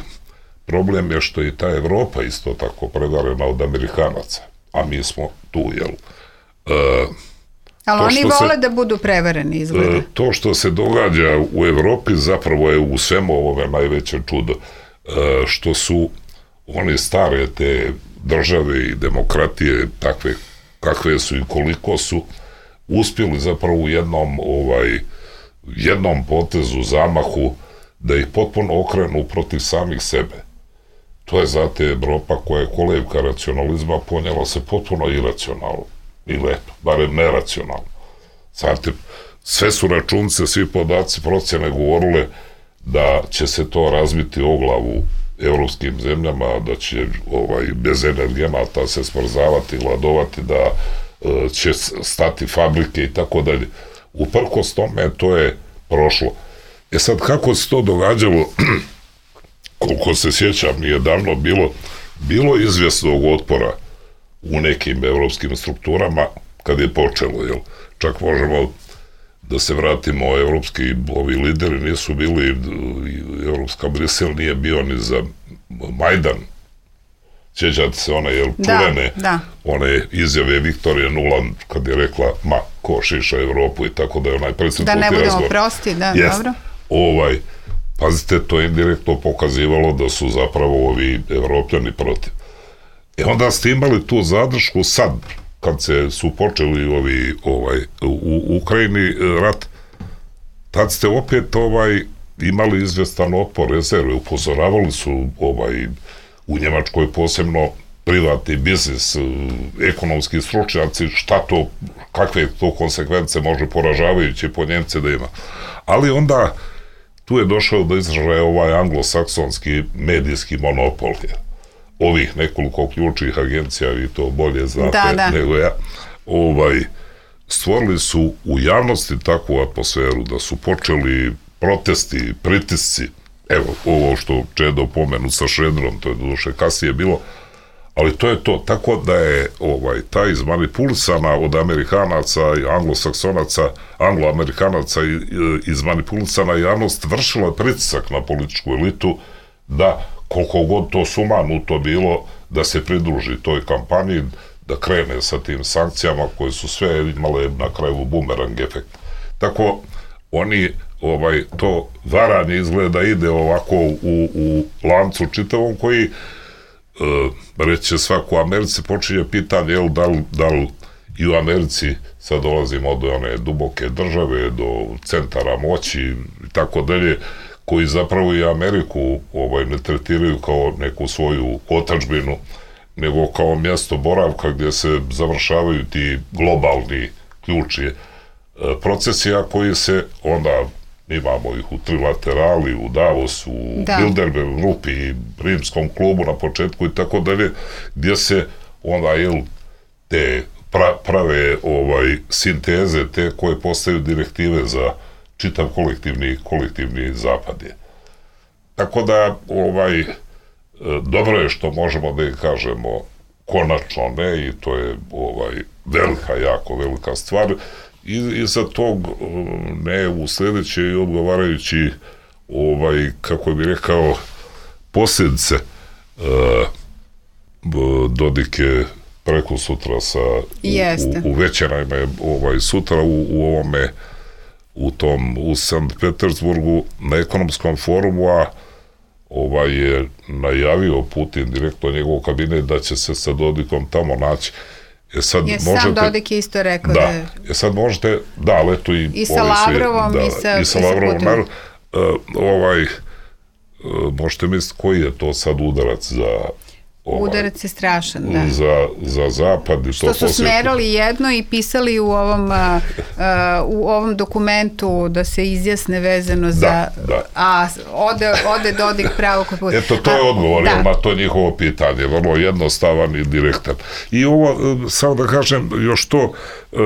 problem je što i ta Evropa isto tako prevarena od Amerikanaca, a mi smo tu, jel? E, Ali oni vole se, da budu prevareni, izgleda. To što se događa u Evropi zapravo je u svemu ovome najveće čudo, što su oni stare te države i demokratije takve kakve su i koliko su uspjeli zapravo u jednom ovaj, jednom potezu, zamahu, da ih potpuno okrenu protiv samih sebe. To je zato Evropa koja je kolevka racionalizma ponijela se potpuno iracionalno. Ili eto, barem neracionalno. Znate, sve su računce, svi podaci, procjene govorile da će se to razbiti o glavu evropskim zemljama, da će ovaj, bez energenata se smrzavati, gladovati, da e, će stati fabrike i tako dalje. Uprkos tome, to je prošlo. E sad, kako se to događalo, koliko se sjećam, nije davno bilo, bilo izvjesnog otpora u nekim evropskim strukturama kad je počelo, jel? Čak možemo da se vratimo, evropski ovi lideri nisu bili, evropska Brisel nije bio ni za Majdan. Sjećate se one, jel, čuvene, da, da. one izjave Viktorije Nuland kad je rekla, ma, ko šiša Evropu i tako da je onaj predsjednik. Da ne budemo razgovor. Prosti, da, Jest. Dobro. Ovaj, pazite, to je indirektno pokazivalo da su zapravo ovi Evropljani protiv. E onda ste imali tu zadršku sad, kad se su počeli ovi, ovaj, u Ukrajini rat, tad ste opet ovaj, imali izvjestan otpor rezerve, upozoravali su ovaj, u Njemačkoj posebno privatni biznis, ekonomski stručnjaci, šta to, kakve to konsekvence može poražavajući po Njemce da ima. Ali onda tu je došao do izražaja ovaj anglosaksonski medijski monopol, ovih nekoliko ključnih agencija, vi to bolje znate da, da. nego ja, ovaj, stvorili su u javnosti takvu atmosferu da su počeli protesti, pritisci, evo, ovo što Čedo pomenu sa Šredrom, to je doduše kasnije bilo, ali to je to, tako da je ovaj, ta izmanipulisana od Amerikanaca i Anglosaksonaca, Angloamerikanaca izmanipulisana javnost vršila pritisak na političku elitu da koliko god to sumanuto bilo, da se pridruži toj kampanji, da krene sa tim sankcijama koje su sve imale na kraju bumerang efekt. Tako, oni, ovaj, to varanje izgleda ide ovako u, u lancu čitavom koji, e, reće svako u Americi, počinje pitanje, jel, da li, da li i u Americi sad dolazimo do one duboke države, do centara moći i tako dalje, koji zapravo i Ameriku ovaj, ne tretiraju kao neku svoju otadžbinu, nego kao mjesto boravka gdje se završavaju ti globalni ključni procesi, a koji se onda, imamo ih u trilaterali, u Davosu, u da. Bilderberg grupi, Rimskom klubu na početku i tako dalje, gdje se onda, jel, te pra, prave ovaj, sinteze, te koje postaju direktive za čitav kolektivni, kolektivni zapad je. Tako da, ovaj, dobro je što možemo da ih kažemo konačno ne, i to je ovaj, velika, jako velika stvar. I, i za tog ne u sljedeće i odgovarajući, ovaj, kako bi rekao, posljedice. E, Dodik je preko sutra sa u, u, u Većenajma je ovaj, sutra u, u ovome u tom u Sankt Petersburgu na ekonomskom forumu, a ovaj je najavio Putin direktno njegov kabinet da će se sa Dodikom tamo naći. E sad je možete, sam Dodik isto rekao da, da je... E sad možete, da, ali eto i... I sa Lavrovom da, i sa, i sa Lavrovom, nar, uh, ovaj, uh, možete misliti koji je to sad udarac za... Ovaj, udarac je strašan, da. Za, za zapad. I što to su posjetno. Smerali jedno i pisali u ovom, uh, uh, u ovom dokumentu da se izjasne vezano za... Da, da. A ode, ode Dodik pravo kod puta. Eto, to je odgovor da. na to njihovo pitanje. Vrlo jednostavan i direktan. I ovo, samo da kažem, još to... Uh,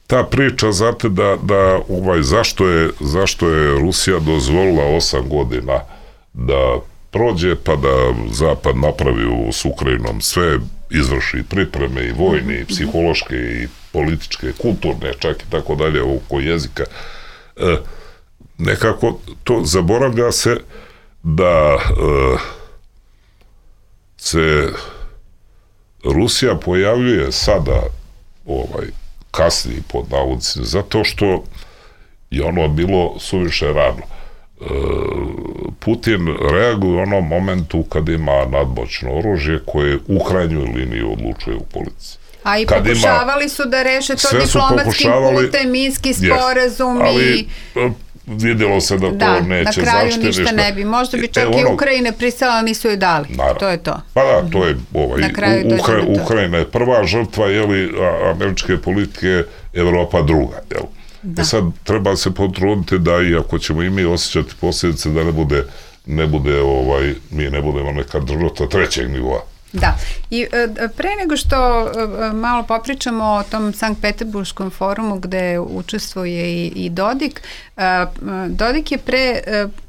ta priča, znate, da, da ovaj, zašto, je, zašto je Rusija dozvolila osam godina da prođe, pa da Zapad napravi s Ukrajinom sve, izvrši pripreme i vojne, i psihološke, i političke, kulturne, čak i tako dalje, oko jezika. E, nekako to zaboravlja se da e, se Rusija pojavljuje sada ovaj, kasniji pod navodnicima, zato što je ono bilo suviše rano. Putin reaguje u onom momentu kad ima nadmoćno oružje koje u krajnjoj liniji odlučuje u policiji. A i kad pokušavali ima, su da reše to diplomatskim putem, minski sporazum yes, ali, i... vidjelo se da to da, neće na kraju zaštiti ništa ne bi. Možda bi čak e, ono, i Ukrajine pristala, nisu joj dali. Naravno. To je to. Pa da, to je ovaj, u, Ukra, Ukrajina je prva žrtva, jeli, američke politike, Evropa druga, jel? Da. E sad treba se potruditi da i ako ćemo i mi osjećati posljedice da ne bude, ne bude ovaj, mi ne budemo neka država trećeg nivoa. Da, i pre nego što malo popričamo o tom Sankt Peterburškom forumu gde učestvuje i, i Dodik, Dodik je pre,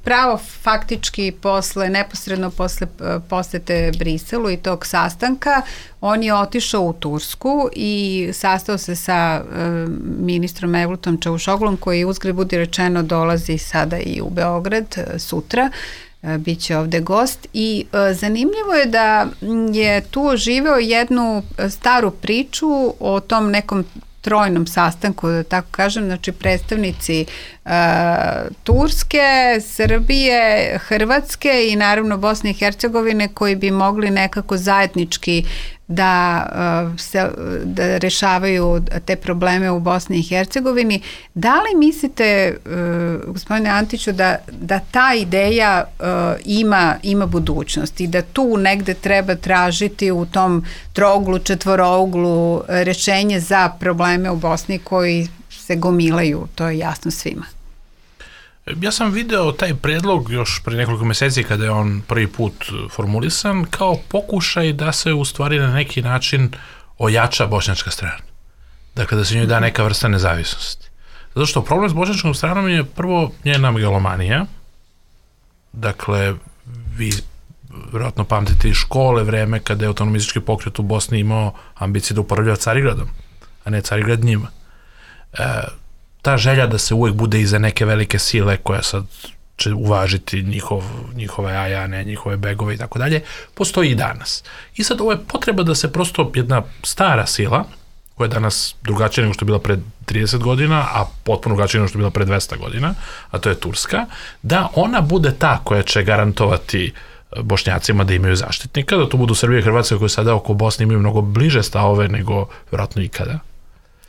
pravo faktički posle, neposredno posle posete Briselu i tog sastanka, on je otišao u Tursku i sastao se sa ministrom Mevlutom Čavušoglom koji uzgred budi rečeno dolazi sada i u Beograd sutra. Biće ovde gost i e, zanimljivo je da je tu živeo jednu staru priču o tom nekom trojnom sastanku, da tako kažem, znači predstavnici e, Turske, Srbije, Hrvatske i naravno Bosne i Hercegovine koji bi mogli nekako zajednički da, se, da rešavaju te probleme u Bosni i Hercegovini. Da li mislite, gospodine Antiću, da, da ta ideja ima, ima budućnost i da tu negde treba tražiti u tom trouglu, četvorouglu rešenje za probleme u Bosni koji se gomilaju, to je jasno svima? Ja sam video taj predlog još pre nekoliko meseci kada je on prvi put formulisan kao pokušaj da se u stvari na neki način ojača bošnjačka strana. Dakle, da se njoj da neka vrsta nezavisnosti. Zato što problem s bošnjačkom stranom je prvo njena megalomanija. Dakle, vi vjerojatno pamtite iz škole vreme kada je autonomistički pokret u Bosni imao ambicije da upravlja Carigradom, a ne Carigrad njima. E, ta želja da se uvek bude iza neke velike sile koja sad će uvažiti njihov, njihove ajane, njihove begove i tako dalje, postoji i danas. I sad ovo je potreba da se prosto jedna stara sila, koja je danas drugačija nego što je bila pred trideset godina, a potpuno drugačija nego što je bila pred dvesta godina, a to je Turska, da ona bude ta koja će garantovati Bošnjacima da imaju zaštitnika, da to budu Srbije i Hrvatske koje sada oko Bosne imaju mnogo bliže stavove nego vjerojatno ikada.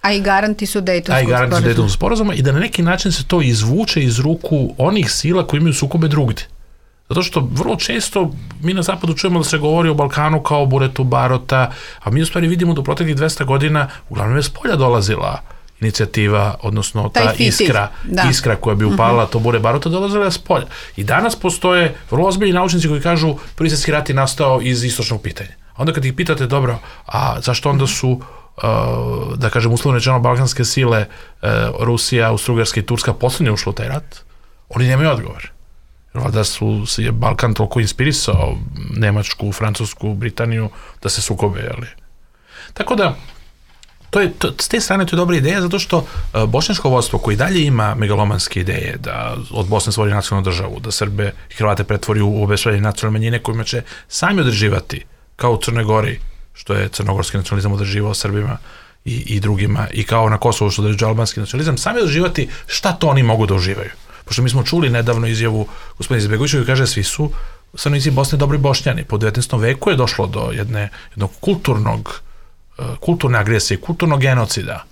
A i garanti su Dejtonskog sporazuma. A i garanti su Dejtonskog sporazuma i da na neki način se to izvuče iz ruku onih sila koji imaju sukobe drugdje. Zato što vrlo često mi na zapadu čujemo da se govori o Balkanu kao o buretu barota, a mi u stvari vidimo da u proteklih dvesta godina uglavnom je s polja dolazila inicijativa, odnosno ta iskra, iskra koja bi upala, to bure barota, dolazila s polja. I danas postoje vrlo ozbiljni naučnici koji kažu Prvi svjetski rat je nastao iz istočnog pitanja. Onda kad ih pitate, dobro, a zašto onda su Uh, da kažem uslovno rečeno balkanske sile uh, Rusija, Austro-Ugarska i Turska poslednje ušlo u taj rat, oni nemaju odgovor. Da su se je Balkan toliko inspirisao Nemačku, Francusku, Britaniju da se sukobe, jeli. Tako da to je, to, s te strane to je dobra ideja zato što uh, bošnjačko vodstvo koji dalje ima megalomanske ideje da od Bosne stvori nacionalnu državu, da Srbe i Hrvate pretvori u obespravljene nacionalne manjine kojima će sami određivati kao u Crnoj Gori, što je crnogorski nacionalizam održivao Srbima i, i drugima, i kao na Kosovu što određuje albanski nacionalizam, sami doživati šta to oni mogu da uživaju. Pošto mi smo čuli nedavno izjavu gospodina Izbegovića koji kaže svi su stanovnici Bosne dobri Bošnjani. Po devetnaestom veku je došlo do jedne, jednog kulturnog, kulturne agresije, kulturnog genocida,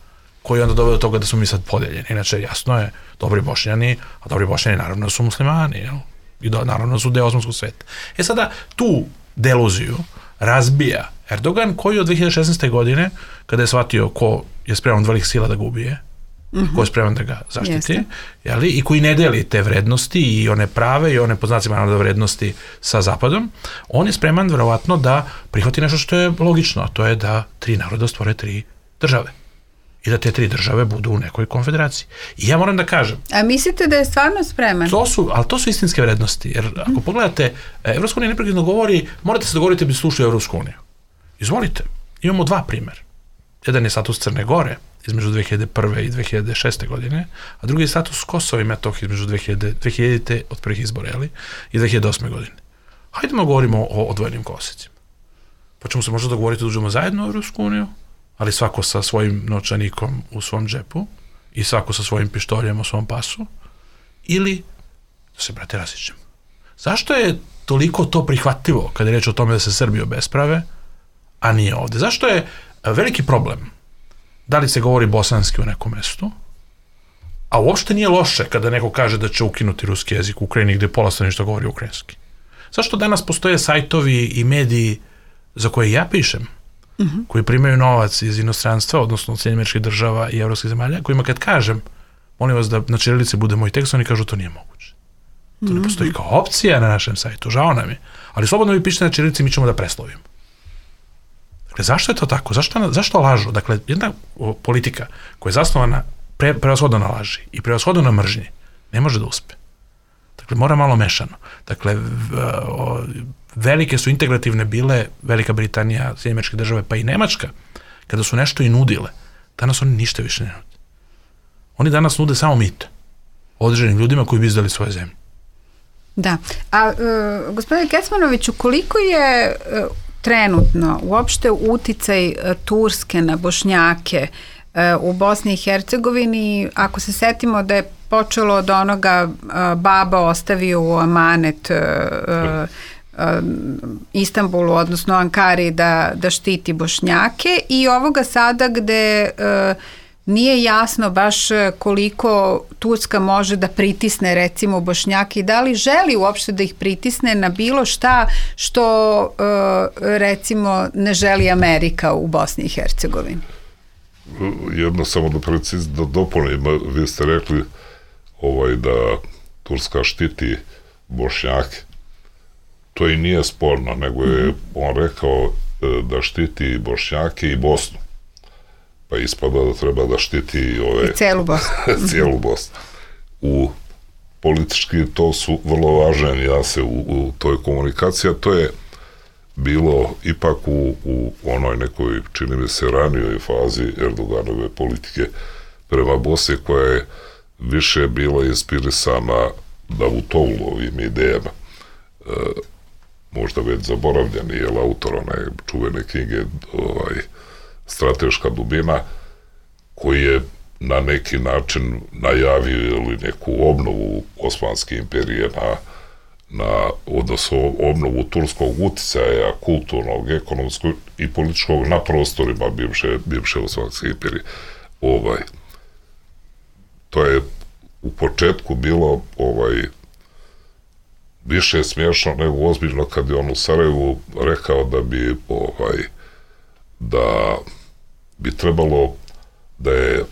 koji je onda doveo do toga da smo mi sad podeljeni. Inače, jasno je, dobri Bošnjani, a dobri Bošnjani naravno su muslimani, jel? I do, naravno su deo osmanskog sveta. E sada, tu deluziju razbija Erdogan, koji od dve hiljade šesnaeste. godine, kada je shvatio ko je spreman od velikih sila da ga ubije, mm-hmm. ko je spreman da ga zaštiti, jeli, i koji ne deli te vrednosti i one prave i one po znacima naroda vrednosti sa Zapadom, on je spreman verovatno da prihvati nešto što je logično, a to je da tri naroda stvore tri države. I da te tri države budu u nekoj konfederaciji. I ja moram da kažem... A mislite da je stvarno spreman? To su, ali to su istinske vrednosti. Jer ako pogledate, Evropska unija neprekidno govori, morate se dogovoriti da bi slušali Evropsku uniju. Izvolite. Imamo dva primjera. Jedan je status Crne Gore između dve hiljade prve i dve hiljade šeste. godine, a drugi je status Kosova i Metohije između dve hiljade, dve hiljadite od prvih izbora, jeli, i dve hiljade osme. godine. Hajdemo govorimo o odvojenim kolosecima. Pa ćemo se možda dogovoriti da uđemo zajedno u Evropsku uniju, ali svako sa svojim novčanikom u svom džepu i svako sa svojim pištoljem u svom pasu, ili da se, brate, raziđemo. Zašto je toliko to prihvatljivo kada je reč o tome da se Srbi obesprave, a nije ovde? Zašto je veliki problem da li se govori bosanski u nekom mestu, a uopšte nije loše kada neko kaže da će ukinuti ruski jezik u Ukrajini gde pola stanovništva govori ukrajinski? Zašto danas postoje sajtovi i mediji za koje ja pišem, Mm-hmm. koji primaju novac iz inostranstva, odnosno od Sjedinjenih Američkih Država i evropskih zemalja, kojima kad kažem, molim vas da na ćirilici bude moj tekst, oni kažu to nije moguće. To mm-hmm. ne postoji kao opcija na našem sajtu, žao nam je. Ali slobodno vi pišete na ćirilici, mi ćemo da preslovimo. Dakle, zašto je to tako? Zašto, zašto lažu? Dakle, jedna politika koja je zasnovana pre, prevashodno na laži i prevashodno na mržnji, ne može da uspe. Dakle, mora malo mešano. Dakle, v, o, velike su integrativne bile Velika Britanija, Sjedinjene Američke Države, pa i Nemačka, kada su nešto i nudile. Danas oni ništa više ne nude. Oni danas nude samo mito određenim ljudima koji bi izdali svoje zemlje. Da. A uh, gospodine Kecmanoviću, koliko je uh, trenutno uopšte uticaj uh, Turske na Bošnjake uh, u Bosni i Hercegovini, ako se setimo da je počelo od onoga uh, baba ostavio u amanet uh, Istanbulu, odnosno Ankari, da, da štiti Bošnjake, i ovoga sada gde uh, nije jasno baš koliko Turska može da pritisne recimo Bošnjake i da li želi uopšte da ih pritisne na bilo šta što uh, recimo ne želi Amerika u Bosni i Hercegovini. Jedno samo da preciz, da dopunim, vi ste rekli ovaj, da Turska štiti Bošnjake. To i nije sporno, nego je on rekao da štiti Bošnjake i Bosnu. Pa ispada da treba da štiti ove... I celu Bosnu. cijelu Bosnu. U politički to su vrlo važne nijanse u, u toj komunikaciji, a to je bilo ipak u, u onoj nekoj, čini mi se, ranijoj fazi Erdoganove politike prema Bosni, koja je više bila inspirisana Davutovlovim idejama. E, možda već zaboravljeni, jer autor one čuvene knjige ovaj, Strateška dubina, koji je na neki način najavio ili neku obnovu Osmanske imperije na, na odnosno obnovu turskog uticaja, kulturnog, ekonomskog i političkog na prostorima bivše, bivše Osmanske imperije. Ovaj, to je u početku bilo ovaj, više smiješno nego ozbiljno kad je on u Sarajevu rekao da bi ovaj, da bi trebalo da je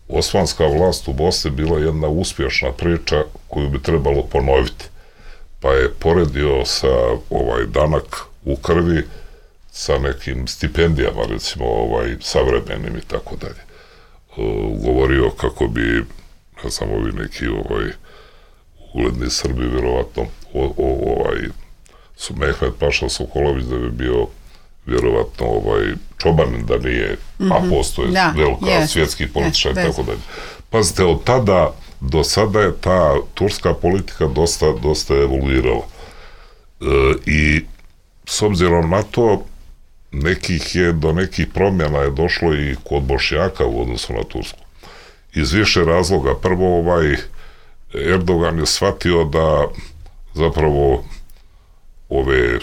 osmanska vlast u Bosni bila jedna uspješna priča koju bi trebalo ponoviti. Pa je poredio sa ovaj danak u krvi sa nekim stipendijama, recimo ovaj savremenim i tako dalje. Govorio kako bi, ne znam, ovi neki ovaj ugledni Srbi vjerovatno o, o, ovaj su Mehmet Paša Sokolović da bi bio vjerovatno ovaj Čobanin da nije, mm-hmm. a postoje da, velika yes. svjetski političar yes, i tako dalje. Pazite, od tada do sada je ta turska politika dosta, dosta evoluirala. E, I s obzirom na to, nekih je, do nekih promjena je došlo i kod Bošnjaka u odnosu na Tursku. Iz više razloga. Prvo, ovaj Erdogan je shvatio da zapravo ove uh,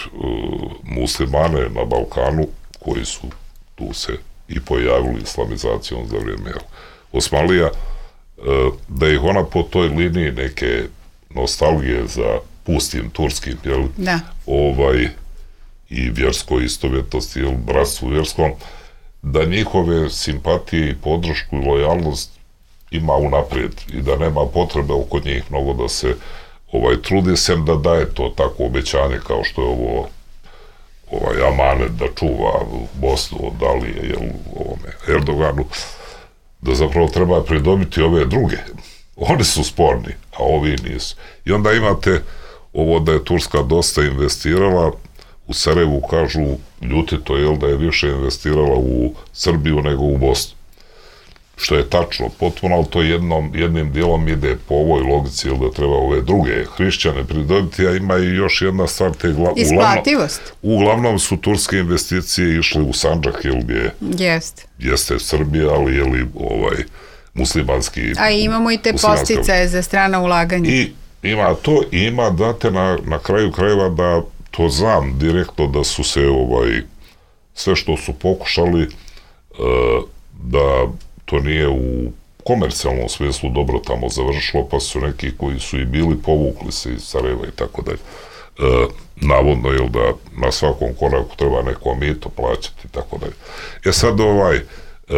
muslimane na Balkanu, koji su tu se i pojavili islamizacijom za vrijeme Osmanlija, uh, da ih ona po toj liniji neke nostalgije za pustim turskim, jel? Da. Ovaj, i vjerskoj istovjetnosti, jel, bratstvu vjerskom, da njihove simpatije i podršku i lojalnost ima unaprijed i da nema potrebe oko njih mnogo da se ovaj, trudi, sem da daje to tako obećanje kao što je ovo ovaj, amanet da čuva Bosnu od Alije, jel, ovome Erdoganu, da zapravo treba pridobiti ove druge. Oni su sporni, a ovi nisu. I onda imate ovo da je Turska dosta investirala, u Sarajevu kažu ljuti to, jel, da je više investirala u Srbiju nego u Bosnu. Što je tačno, potpuno, ali to jednom, jednim dijelom ide po ovoj logici, jel, da treba ove druge hrišćane pridobiti, a ima i još jedna stvar, te gla... isplativost. Uglavnom, uglavnom su turske investicije išle u Sandžak, jel, gdje Jest. jeste Srbija, ali je li ovaj muslimanski... A imamo i te posticaje za strana ulaganja. I ima to, i ima, date na, na kraju krajeva da to znam direktno da su se ovaj sve što su pokušali uh, da to nije u komercijalnom smislu dobro tamo završilo, pa su neki koji su i bili povukli se iz Sarajeva i tako dalje. Uh, navodno je da na svakom koraku treba neko mito plaćati i tako dalje. E sad ovaj uh,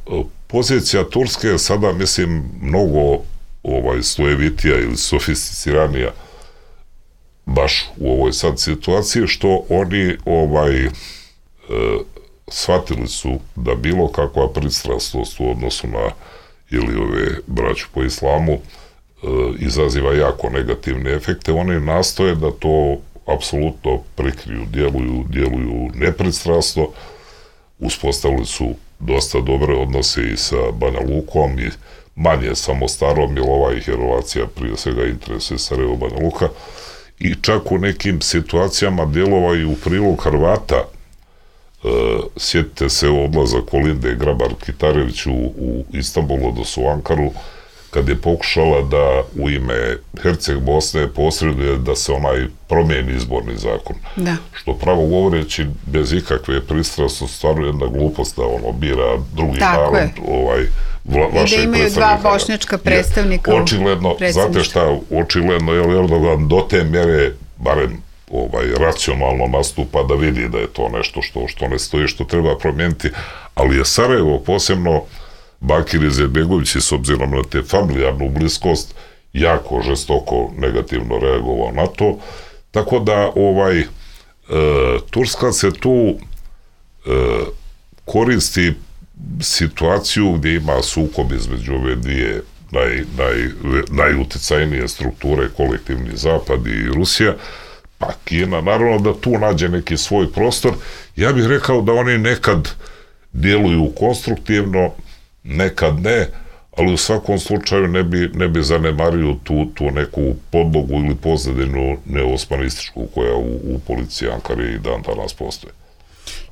uh, pozicija Turske je sada, mislim, mnogo ovaj slojevitija ili sofisticiranija baš u ovoj sad situaciji, što oni ovaj e, shvatili su da bilo kakva pristrasnost u odnosu na ili ove braću po islamu e, izaziva jako negativne efekte. Oni nastoje da to apsolutno prikriju, djeluju, djeluju nepristrasno, uspostavili su dosta dobre odnose i sa Banja Lukom i manje samo Starom, jer ova ih je relacija prije svega interesuje Sarajevo, Banja Luka, i čak u nekim situacijama djelovao i u prilog Hrvata. E, sjetite se odlaza Kolinde Grabar-Kitarević u, u Istanbulu, odnosno u Ankaru, kad je pokušala da u ime Herceg Bosne posreduje da se onaj promijeni izborni zakon. Da. Što pravo govoreći, bez ikakve pristrasnosti, stvarno jedna glupost da ono bira drugi Tako narod, ovaj, vla, vašeg predstavnika. I da imaju dva bošnjačka predstavnika je, očigledno, znate šta, očigledno je Erdogan do te mjere, barem ovaj, racionalno nastupa da vidi da je to nešto što, što ne stoji, što treba promijeniti, ali je Sarajevo, posebno Bakir Izetbegović, s obzirom na te familijarnu bliskost, jako žestoko negativno reagovao na to, tako da ovaj e, Turska se tu e, koristi situaciju gdje ima sukob između ove dvije naj, naj, najuticajnije strukture, kolektivni Zapad i Rusija, pa Kina, naravno da tu nađe neki svoj prostor. Ja bih rekao da oni nekad djeluju konstruktivno, nekad ne, ali u svakom slučaju ne bi, ne bi zanemario tu, tu neku podlogu ili pozadinu neosmanističku koja u, u policiji Ankare i dan danas postoje.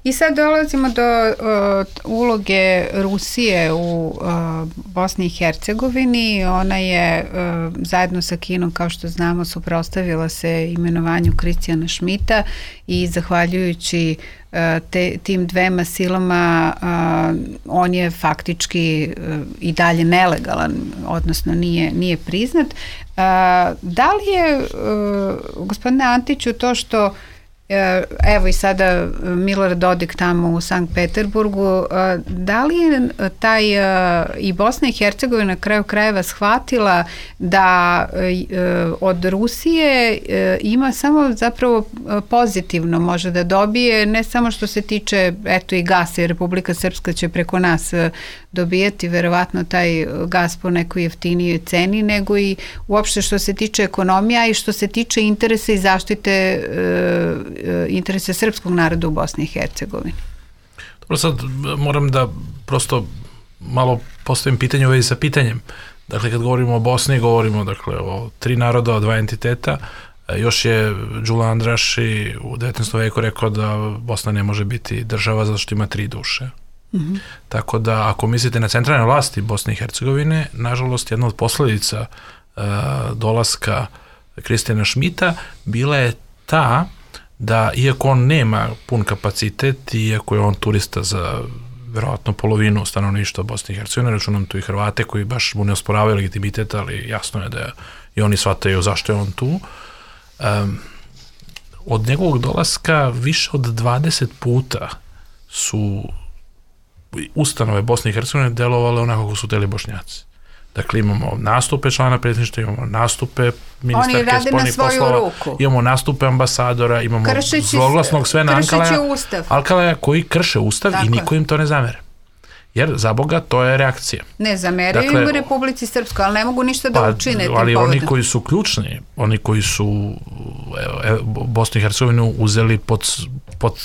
I sad dolazimo do uh, uloge Rusije u uh, Bosni i Hercegovini. Ona je uh, zajedno sa Kinom, kao što znamo, suprotstavila se imenovanju Kristijana Šmita i zahvaljujući uh, te, tim dvema silama uh, on je faktički uh, i dalje nelegalan, odnosno nije, nije priznat. Uh, da li je, uh, gospodine Antiću, to što evo i sada Milorad Dodik tamo u Sankt Peterburgu, da li je taj i Bosna i Hercegovina na kraju krajeva shvatila da od Rusije ima samo zapravo pozitivno može da dobije, ne samo što se tiče eto i gasa, jer Republika Srpska će preko nas dobijati verovatno taj gas po nekoj jeftinijoj ceni, nego i uopšte što se tiče ekonomija i što se tiče interesa i zaštite interese srpskog naroda u Bosni i Hercegovini. Dobro, sad moram da prosto malo postavim pitanje u vezi sa pitanjem. Dakle, kad govorimo o Bosni, govorimo dakle o tri naroda, o dva entiteta. Još je Đula Andraši u devetnaestom veku rekao da Bosna ne može biti država zato što ima tri duše. Mm-hmm. Tako da ako mislite na centralne vlasti Bosne i Hercegovine, nažalost jedna od posledica uh, dolaska Kristijana Šmita bila je ta da iako on nema pun kapacitet, iako je on turista za verovatno polovinu stanovništva Bosne i Hercegovine, računam tu i Hrvate koji baš mu ne osporavaju legitimitet, ali jasno je da i oni shvataju zašto je on tu. Um, od njegovog dolaska više od dvadeset puta su ustanove Bosne i Hercegovine delovale onako kako su teli Bošnjaci. Dakle, imamo nastupe člana predsjedništva, imamo nastupe ministarke spoljnih poslova, ruku. Imamo nastupe ambasadora, imamo zloglasnog Svena Ankalaja, Ankalaja koji krše ustav. Tako. I niko im to ne zamere. Jer, za Boga, to je reakcija. Ne zameraju dakle, im u Republici Srpskoj, ali ne mogu ništa da pa, učine. Ali oni koji su ključni, oni koji su evo, Bosnu i Hercegovinu uzeli pod, pod,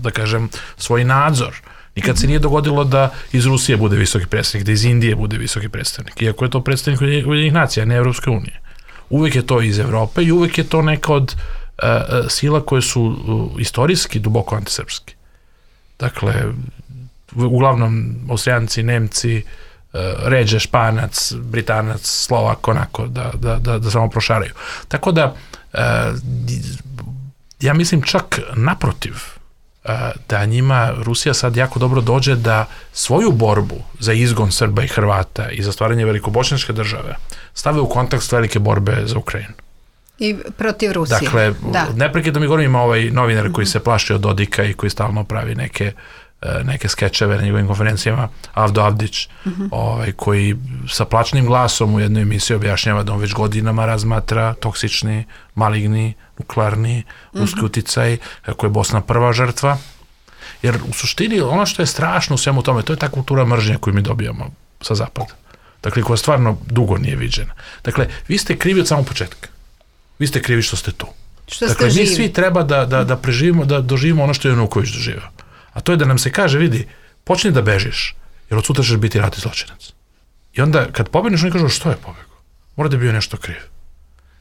da kažem, svoj nadzor. Nikad se nije dogodilo da iz Rusije bude visoki predstavnik, da iz Indije bude visoki predstavnik, iako je to predstavnik Ujedinjenih nacija, ne Evropske unije. Uvek je to iz Evrope i uvek je to neka od uh, sila koje su uh, istorijski duboko antisrpski. Dakle, uglavnom Austrijanci, Nemci, uh, ređe Španac, Britanac, Slovak, onako, da, da, da, da samo prošaraju. Tako da, uh, ja mislim čak naprotiv, da njima Rusija sad jako dobro dođe da svoju borbu za izgon Srba i Hrvata i za stvaranje velikobošnjačke države stave u kontekst velike borbe za Ukrajinu. I protiv Rusije. Dakle, da. Neprekidno mi govorim, ima ovaj novinar koji se plaši od Dodika i koji stalno pravi neke, neke skečeve na njegovim konferencijama, Avdo Avdić, uh-huh. ovaj, koji sa plačnim glasom u jednoj emisiji objašnjava da on već godinama razmatra toksični, maligni, nuklearni, ruski uh-huh. uticaj, kako je Bosna prva žrtva. Jer u suštini ono što je strašno u svemu tome, to je ta kultura mržnje koju mi dobijamo sa zapada. Dakle, koja stvarno dugo nije viđena. Dakle, vi ste krivi od samog početka. Vi ste krivi što ste tu. Što dakle, ste mi živi. svi treba da, da, da preživimo, da doživimo ono što je Januković doživio. A to je da nam se kaže, vidi, počni da bežiš, jer od sutra ćeš biti ratni zločinac. I onda, kad pobegniš, oni kažu, što je pobegao? Mora da je bio nešto kriv.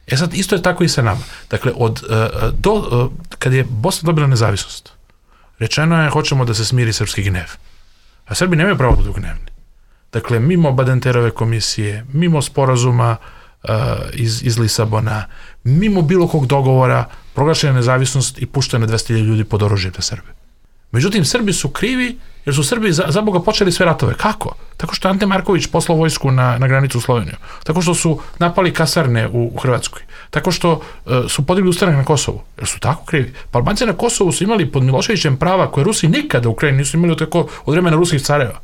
E sad, isto je tako i sa nama. Dakle, od, uh, do, uh, kad je Bosna dobila nezavisnost, rečeno je, hoćemo da se smiri srpski gnev. A Srbi nemaju pravo da budu gnevni. Dakle, mimo Badenterove komisije, mimo sporazuma uh, iz, iz Lisabona, mimo bilo kog dogovora, proglašena nezavisnost i puštene dvesta hiljada ljudi pod oružjem na Srbe. Međutim, Srbi su krivi jer su Srbi za, za Boga počeli sve ratove. Kako? Tako što Ante Marković poslao vojsku na, na granicu u Sloveniju. Tako što su napali kasarne u, u Hrvatskoj. Tako što uh, su podigli ustanak na Kosovu. Jer su tako krivi. Pa Albanci na Kosovu su imali pod Miloševićem prava koje Rusi nikada u Ukrajini nisu imali tako od vremena ruskih careva.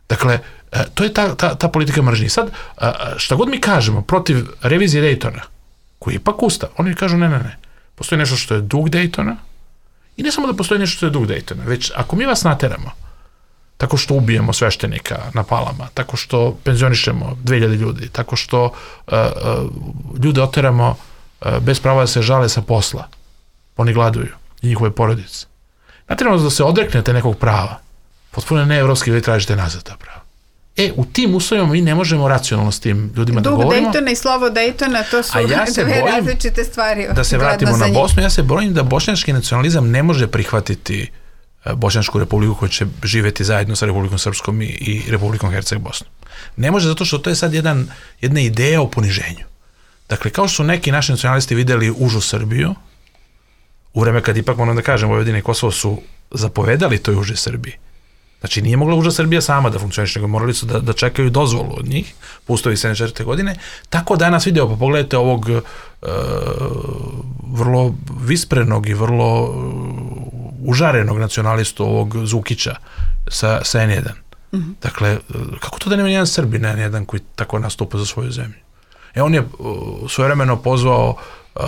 Dakle, uh, to je ta, ta, ta politika mržnje. Sad, uh, šta god mi kažemo protiv revizije Dejtona, koji je ipak ustav, oni kažu ne, ne, ne. Postoji nešto što je duh Dejtona. I ne samo da postoji nešto što je duh Dejtona, već ako mi vas nateramo, tako što ubijemo sveštenika na Palama, tako što penzionišemo dve hiljade ljudi, tako što uh, uh, ljude oteramo uh, bez prava da se žale sa posla, oni gladuju i njihove porodice. Nateramo da se odreknete nekog prava, potpuno neevropski, vi tražite nazad ta prava. E, u tim uslovima mi ne možemo racionalno s tim ljudima Duh da govorimo. Duh Dejtona i slovo Dejtona, to su ja dve različite stvari. Da se vratimo na Bosnu, ja se bojim da bošnjački nacionalizam ne može prihvatiti Bošnjačku republiku koja će živjeti zajedno sa Republikom Srpskom i, i Republikom Herceg Bosnom. Ne može zato što to je sad jedan, jedna ideja o poniženju. Dakle, kao što su neki naši nacionalisti videli užu Srbiju, u vreme kad ipak, moram da kažem, Vojvodina i Kosovo su zapovedali toj uže Srbiji. Znači, nije mogla uža Srbija sama da funkcioniše, nego morali su da, da čekaju dozvolu od njih, po ustavu iz sedamdeset četvrte godine. Tako danas video, pa pogledajte ovog uh, vrlo visprenog i vrlo uh, užarenog nacionalistu, ovog Zukića sa, sa en jedan. Mm-hmm. Dakle, kako to da nema nijedan Srbin, en jedan koji tako nastupa za svoju zemlju? E, on je uh, svojevremeno pozvao uh,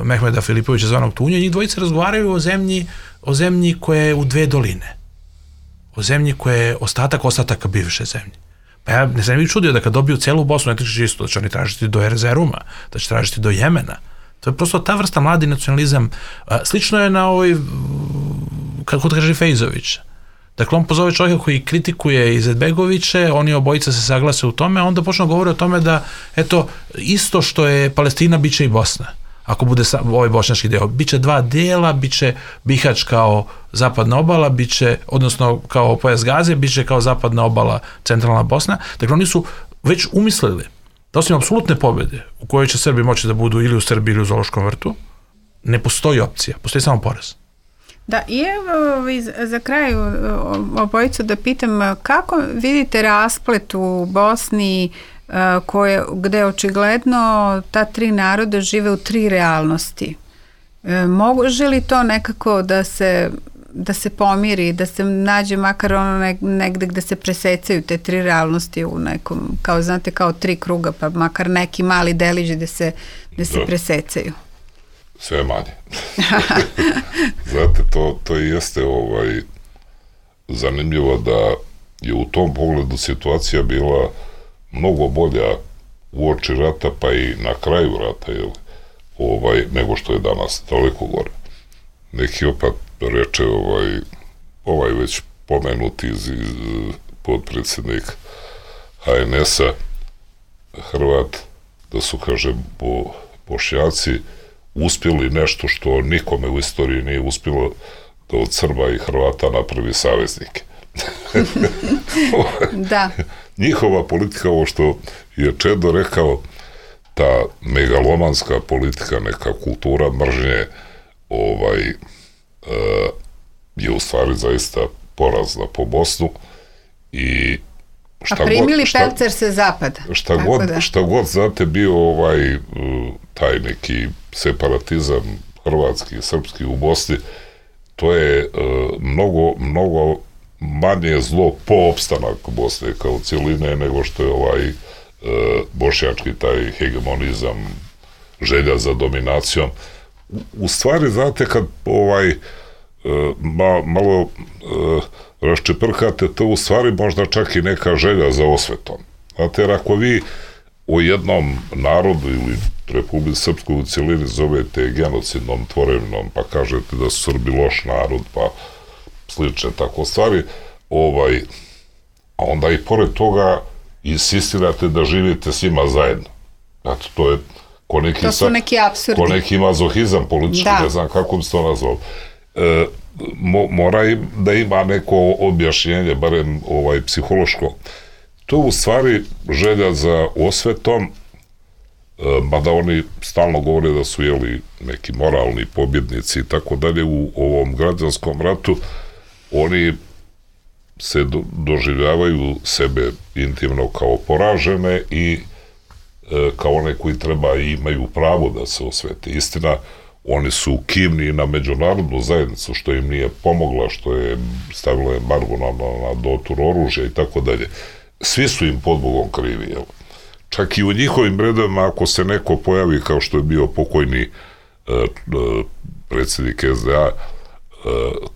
Mehmeda Filipovića zvanog Tunja i njih dvojice razgovaraju o zemlji, o zemlji koja je u dve doline. O zemlji koja je ostatak ostataka bivše zemlje. Pa ja ne sam bih čudio da kad dobiju celu Bosnu, ne tiče isto, da će oni tražiti do Erzeruma, da će tražiti do Jemena. To je prosto ta vrsta mladi nacionalizam. Slično je na ovoj, kako kaže Fejzović. Dakle, on pozove čovjeka koji kritikuje Izetbegoviće, oni obojica se saglase u tome, a onda počne govori o tome da, eto, isto što je Palestina, bit će i Bosna. ako bude sa, ovaj bošnjački deo. Biće dva dela, biće Bihać kao zapadna obala, biće, odnosno kao pojas Gaze, biće kao zapadna obala centralna Bosna. Dakle, oni su već umislili da osim apsolutne pobjede u kojoj će Srbi moći da budu ili u Srbiji ili u Zoološkom vrtu, ne postoji opcija, postoji samo poraz. Da, i evo za kraj obojicu da pitam, kako vidite rasplet u Bosni koje, gde očigledno ta tri naroda žive u tri realnosti? Može li to nekako da se, da se pomiri, da se nađe makar ono negde gde se presecaju te tri realnosti u nekom, kao znate, kao tri kruga, pa makar neki mali delić gde se, gde se presecaju? Sve manje. Znate, to, to jeste ovaj, zanimljivo da je u tom pogledu situacija bila mnogo bolja uoči rata, pa i na kraju rata, jel, ovaj, nego što je danas, toliko gore. Neki opet reče ovaj, ovaj već pomenuti iz, iz, podpredsjednik ha en es-a Hrvat, da su, kaže, bo, Bošnjaci uspjeli nešto što nikome u istoriji nije uspjelo, da od Srba i Hrvata napravi saveznike. Da. Njihova politika, ovo što je Čedo rekao, ta megalomanska politika, neka kultura mržnje, ovaj, e, je u stvari zaista porazna po Bosnu i šta a primili god, šta, pelcer se zapada. Šta god, da. šta god, znate, bio ovaj taj neki separatizam hrvatski i srpski u Bosni, to je e, mnogo, mnogo manje zlo po opstanak Bosne kao cijeline nego što je ovaj e, bošnjački taj hegemonizam, želja za dominacijom. U, u stvari, znate, kad ovaj e, ma, malo e, raščeprkate, to u stvari možda čak i neka želja za osvetom. Znate, jer ako vi o jednom narodu ili Republiku Srpsku u cijelini zovete genocidnom tvorevinom, pa kažete da su Srbi loš narod, pa slične tako stvari, ovaj, a onda i pored toga insistirate da živite svima zajedno. Znate, to je ko neki, to su neki apsurdi. Ko neki mazohizam politički, da. Ne znam kako bi se to nazvao. E, mo, mora im da ima neko objašnjenje, barem ovaj, psihološko. To u stvari želja za osvetom, mada oni stalno govore da su jeli neki moralni pobjednici i tako dalje u ovom građanskom ratu, oni se do, doživljavaju sebe intimno kao poražene i e, kao one koji treba i imaju pravo da se osvete. Istina, oni su kivni na međunarodnu zajednicu, što im nije pomogla, što je stavila embargo na, na, na dotur oružja i tako dalje. Svi su im pod Bogom krivi, jel? Čak i u njihovim redovima, ako se neko pojavi, kao što je bio pokojni e, e, predsjednik es de a e,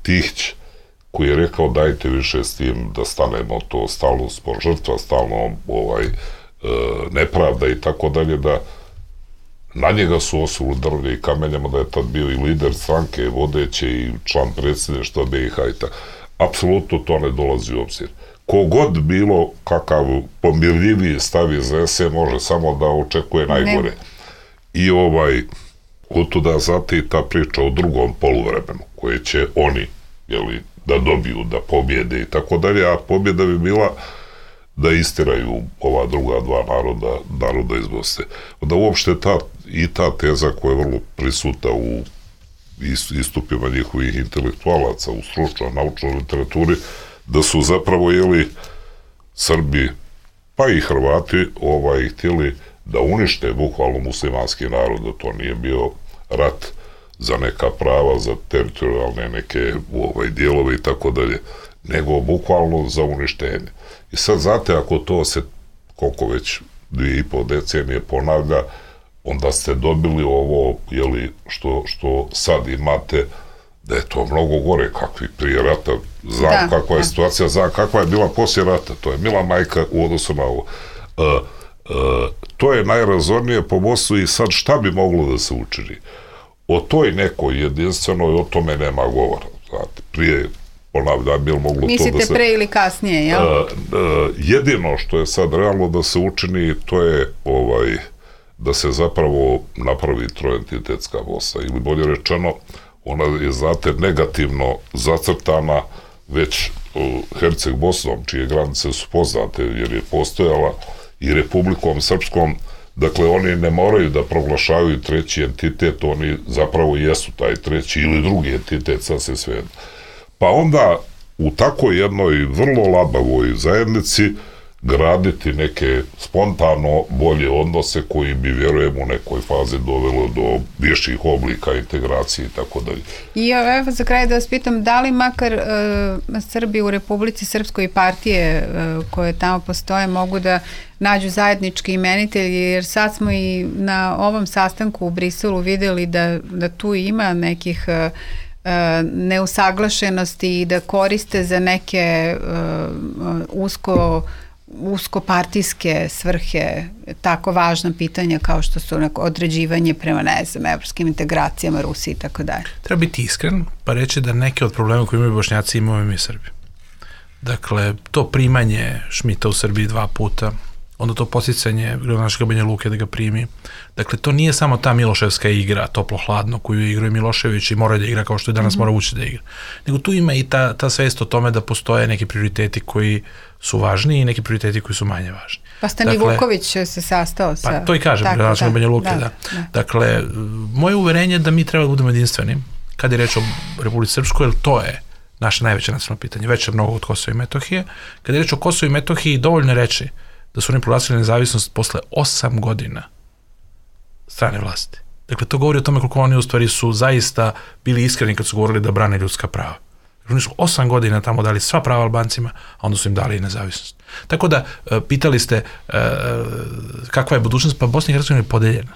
Tihić, koji je rekao dajte više s tim da stanemo, to stalno smo žrtva, stalno ovaj, e, nepravda i tako dalje, da na njega su osuli drvlje i kamenjama, da je tad bio i lider stranke, vodeće i član predsjedništva be i ha i tako. Apsolutno to ne dolazi u obzir. Kogod bilo kakav pomirljiviji stav iz es e može samo da očekuje najgore. Ne. I ovaj, otuda zate i ta priča o drugom poluvremenu, koje će oni, jeli, da dobiju, da pobjede i tako dalje, a pobjeda bi bila da istiraju ova druga dva naroda, naroda iz Bosne. Da uopšte ta, i ta teza koja je vrlo prisuta u istupima njihovih intelektualaca, u stručnoj, naučnoj literaturi, da su zapravo, jeli, Srbi, pa i Hrvati, ovaj, htjeli da unište bukvalno muslimanski narod, da to nije bio rat za neka prava, za teritorijalne neke ovaj, dijelove i tako dalje, nego bukvalno za uništenje. I sad, znate, ako to se, koliko već dvije i pol decenije ponavlja, onda ste dobili ovo, jeli, što, što sad imate, da je to mnogo gore kakvi prije rata. Znam da, kakva je da. situacija, znam kakva je bila poslije rata. To je mila majka u odnosu na ovo. E, e, to je najrazornije po Bosnu i sad šta bi moglo da se učini? O toj nekoj jedinstvenoj, o tome nema govora. Znate, prije, ponavljam, bil moglo Mislite to da se... pre ili kasnije, jel? E, e, jedino što je sad realno da se učini, to je ovaj, da se zapravo napravi troentitetska Bosna, ili bolje rečeno, ona je, znate, negativno zacrtana već Herceg Bosnom, čije granice su poznate, jer je postojala i Republikom Srpskom. Dakle, oni ne moraju da proglašavaju treći entitet, oni zapravo jesu taj treći ili drugi entitet, sad se sve. Pa onda u takoj jednoj vrlo labavoj zajednici graditi neke spontano bolje odnose koji bi, vjerujem, u nekoj fazi dovelo do viših oblika integracije i tako dalje. I evo za kraj da vas pitam, da li makar e, Srbi u Republici Srpskoj partije e, koje tamo postoje mogu da nađu zajednički imenitelji, jer sad smo i na ovom sastanku u Briselu videli da, da tu ima nekih e, neusaglašenosti i da koriste za neke e, usko uskopartijske svrhe tako važna pitanja kao što su određivanje prema, ne znam, evropskim integracijama, Rusiji i tako dalje. Treba biti iskren pa reći da neke od problema koje imaju Bošnjaci imaju mi Srbi. Dakle, to primanje Šmita u Srbiji dva puta, onda to posticanje gradonačelnika Banja Luke da ga primi. Dakle, to nije samo ta Miloševska igra, toplo-hladno, koju igraju Milošević i mora da igra kao što je danas mm-hmm. mora ući da igra. Nego tu ima i ta, ta svest o tome da postoje neki prioriteti koji su važni i neki prioriteti koji su manje važni. Pa Stani dakle, Vuković se sastao sa... Pa to i kažem, gradonačelnik Banja Luke, da, da. da. Dakle, moje uverenje da mi treba da budemo jedinstveni kad je reč o Republici Srpskoj, jer to je naše najveće nacionalno pitanje, veće mnogo od Kosova i Metohije. Kad je reč o Kosovu i Metohiji, dovoljno reći da su oni proglasili nezavisnost posle osam godina strane vlasti. Dakle, to govori o tome koliko oni u stvari su zaista bili iskreni kad su govorili da brane ljudska prava. Oni su osam godina tamo dali sva prava Albancima, a onda su im dali i nezavisnost. Tako da, pitali ste kakva je budućnost, pa Bosna i Hercegovina je podeljena.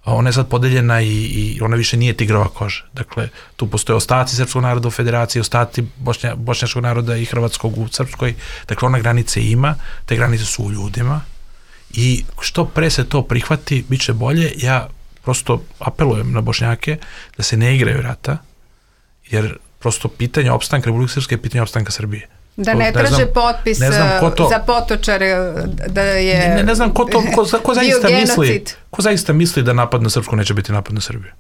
Ona je sad podeljena i, i ona više nije tigrova koža. Dakle, tu postoje ostaci srpskog naroda u federaciji, ostaci bošnja, bošnjačkog naroda i hrvatskog u Srpskoj. Dakle, ona granice ima, te granice su u ljudima i što pre se to prihvati, bit će bolje. Ja prosto apelujem na Bošnjake da se ne igraju rata, jer prosto pitanje opstanka Republike Srpske je pitanje opstanka Srbije. Da ne traže ne znam, potpis ne znam ko to, za Potočare da je ne, ne, ne znam ko to, ko, ko zaista misli, ko zaista misli da napad na Srpsku neće biti napad na Srbiju.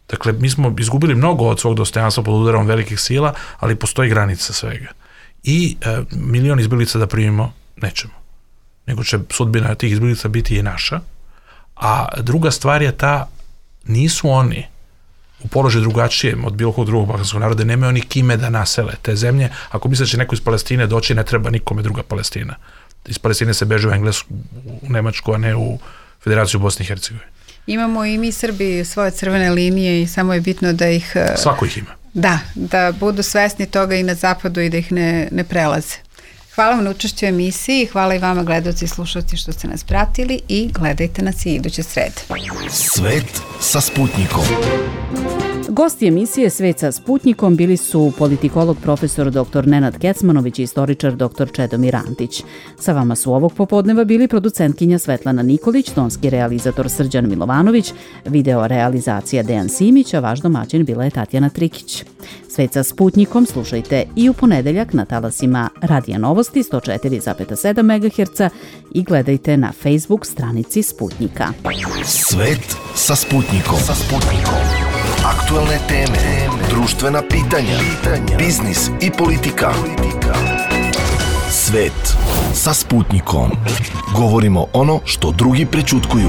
Dakle, mi smo izgubili mnogo od svog dostojanstva pod udarom velikih sila, ali postoji granica svega. I e, milion izbjeglica da primimo nećemo. Nego će sudbina tih izbjeglica biti i naša. A druga stvar je ta, nisu oni u položaju drugačijem od bilo kog drugog balkanskog naroda, nemaju oni kime da nasele te zemlje. Ako misle da će neko iz Palestine doći, ne treba nikome druga Palestina. Iz Palestine se beže u Englesku, u Nemačku, a ne u Federaciju Bosne i Hercegovine. Imamo i mi Srbi svoje crvene linije i samo je bitno da ih... Svako ih ima. Da, da budu svesni toga i na zapadu i da ih ne, ne prelaze. Hvala vam na učešću u emisiji, hvala i vama gledalci i slušalci što ste nas pratili i gledajte nas i iduće srede. Svet sa Sputnikom. Gosti emisije Svet sa Sputnikom bili su politikolog profesor doktor Nenad Kecmanović i istoričar doktor Čedomir Antić. Sa vama su ovog popodneva bili producentkinja Svetlana Nikolić, tonski realizator Srđan Milovanović, video realizacija Dejan Simić, a vaš domaćin bila je Tatjana Trikić. Svet sa Sputnikom slušajte i u ponedeljak na talasima Radija Novosti sto četiri zarez sedam megaherca i gledajte na Facebook stranici Sputnika. Svet sa Sputnikom. Sa Sputnikom. Aktualne teme, društvena pitanja, biznis i politika. Svet sa Sputnikom. Govorimo ono što drugi prećutkuju.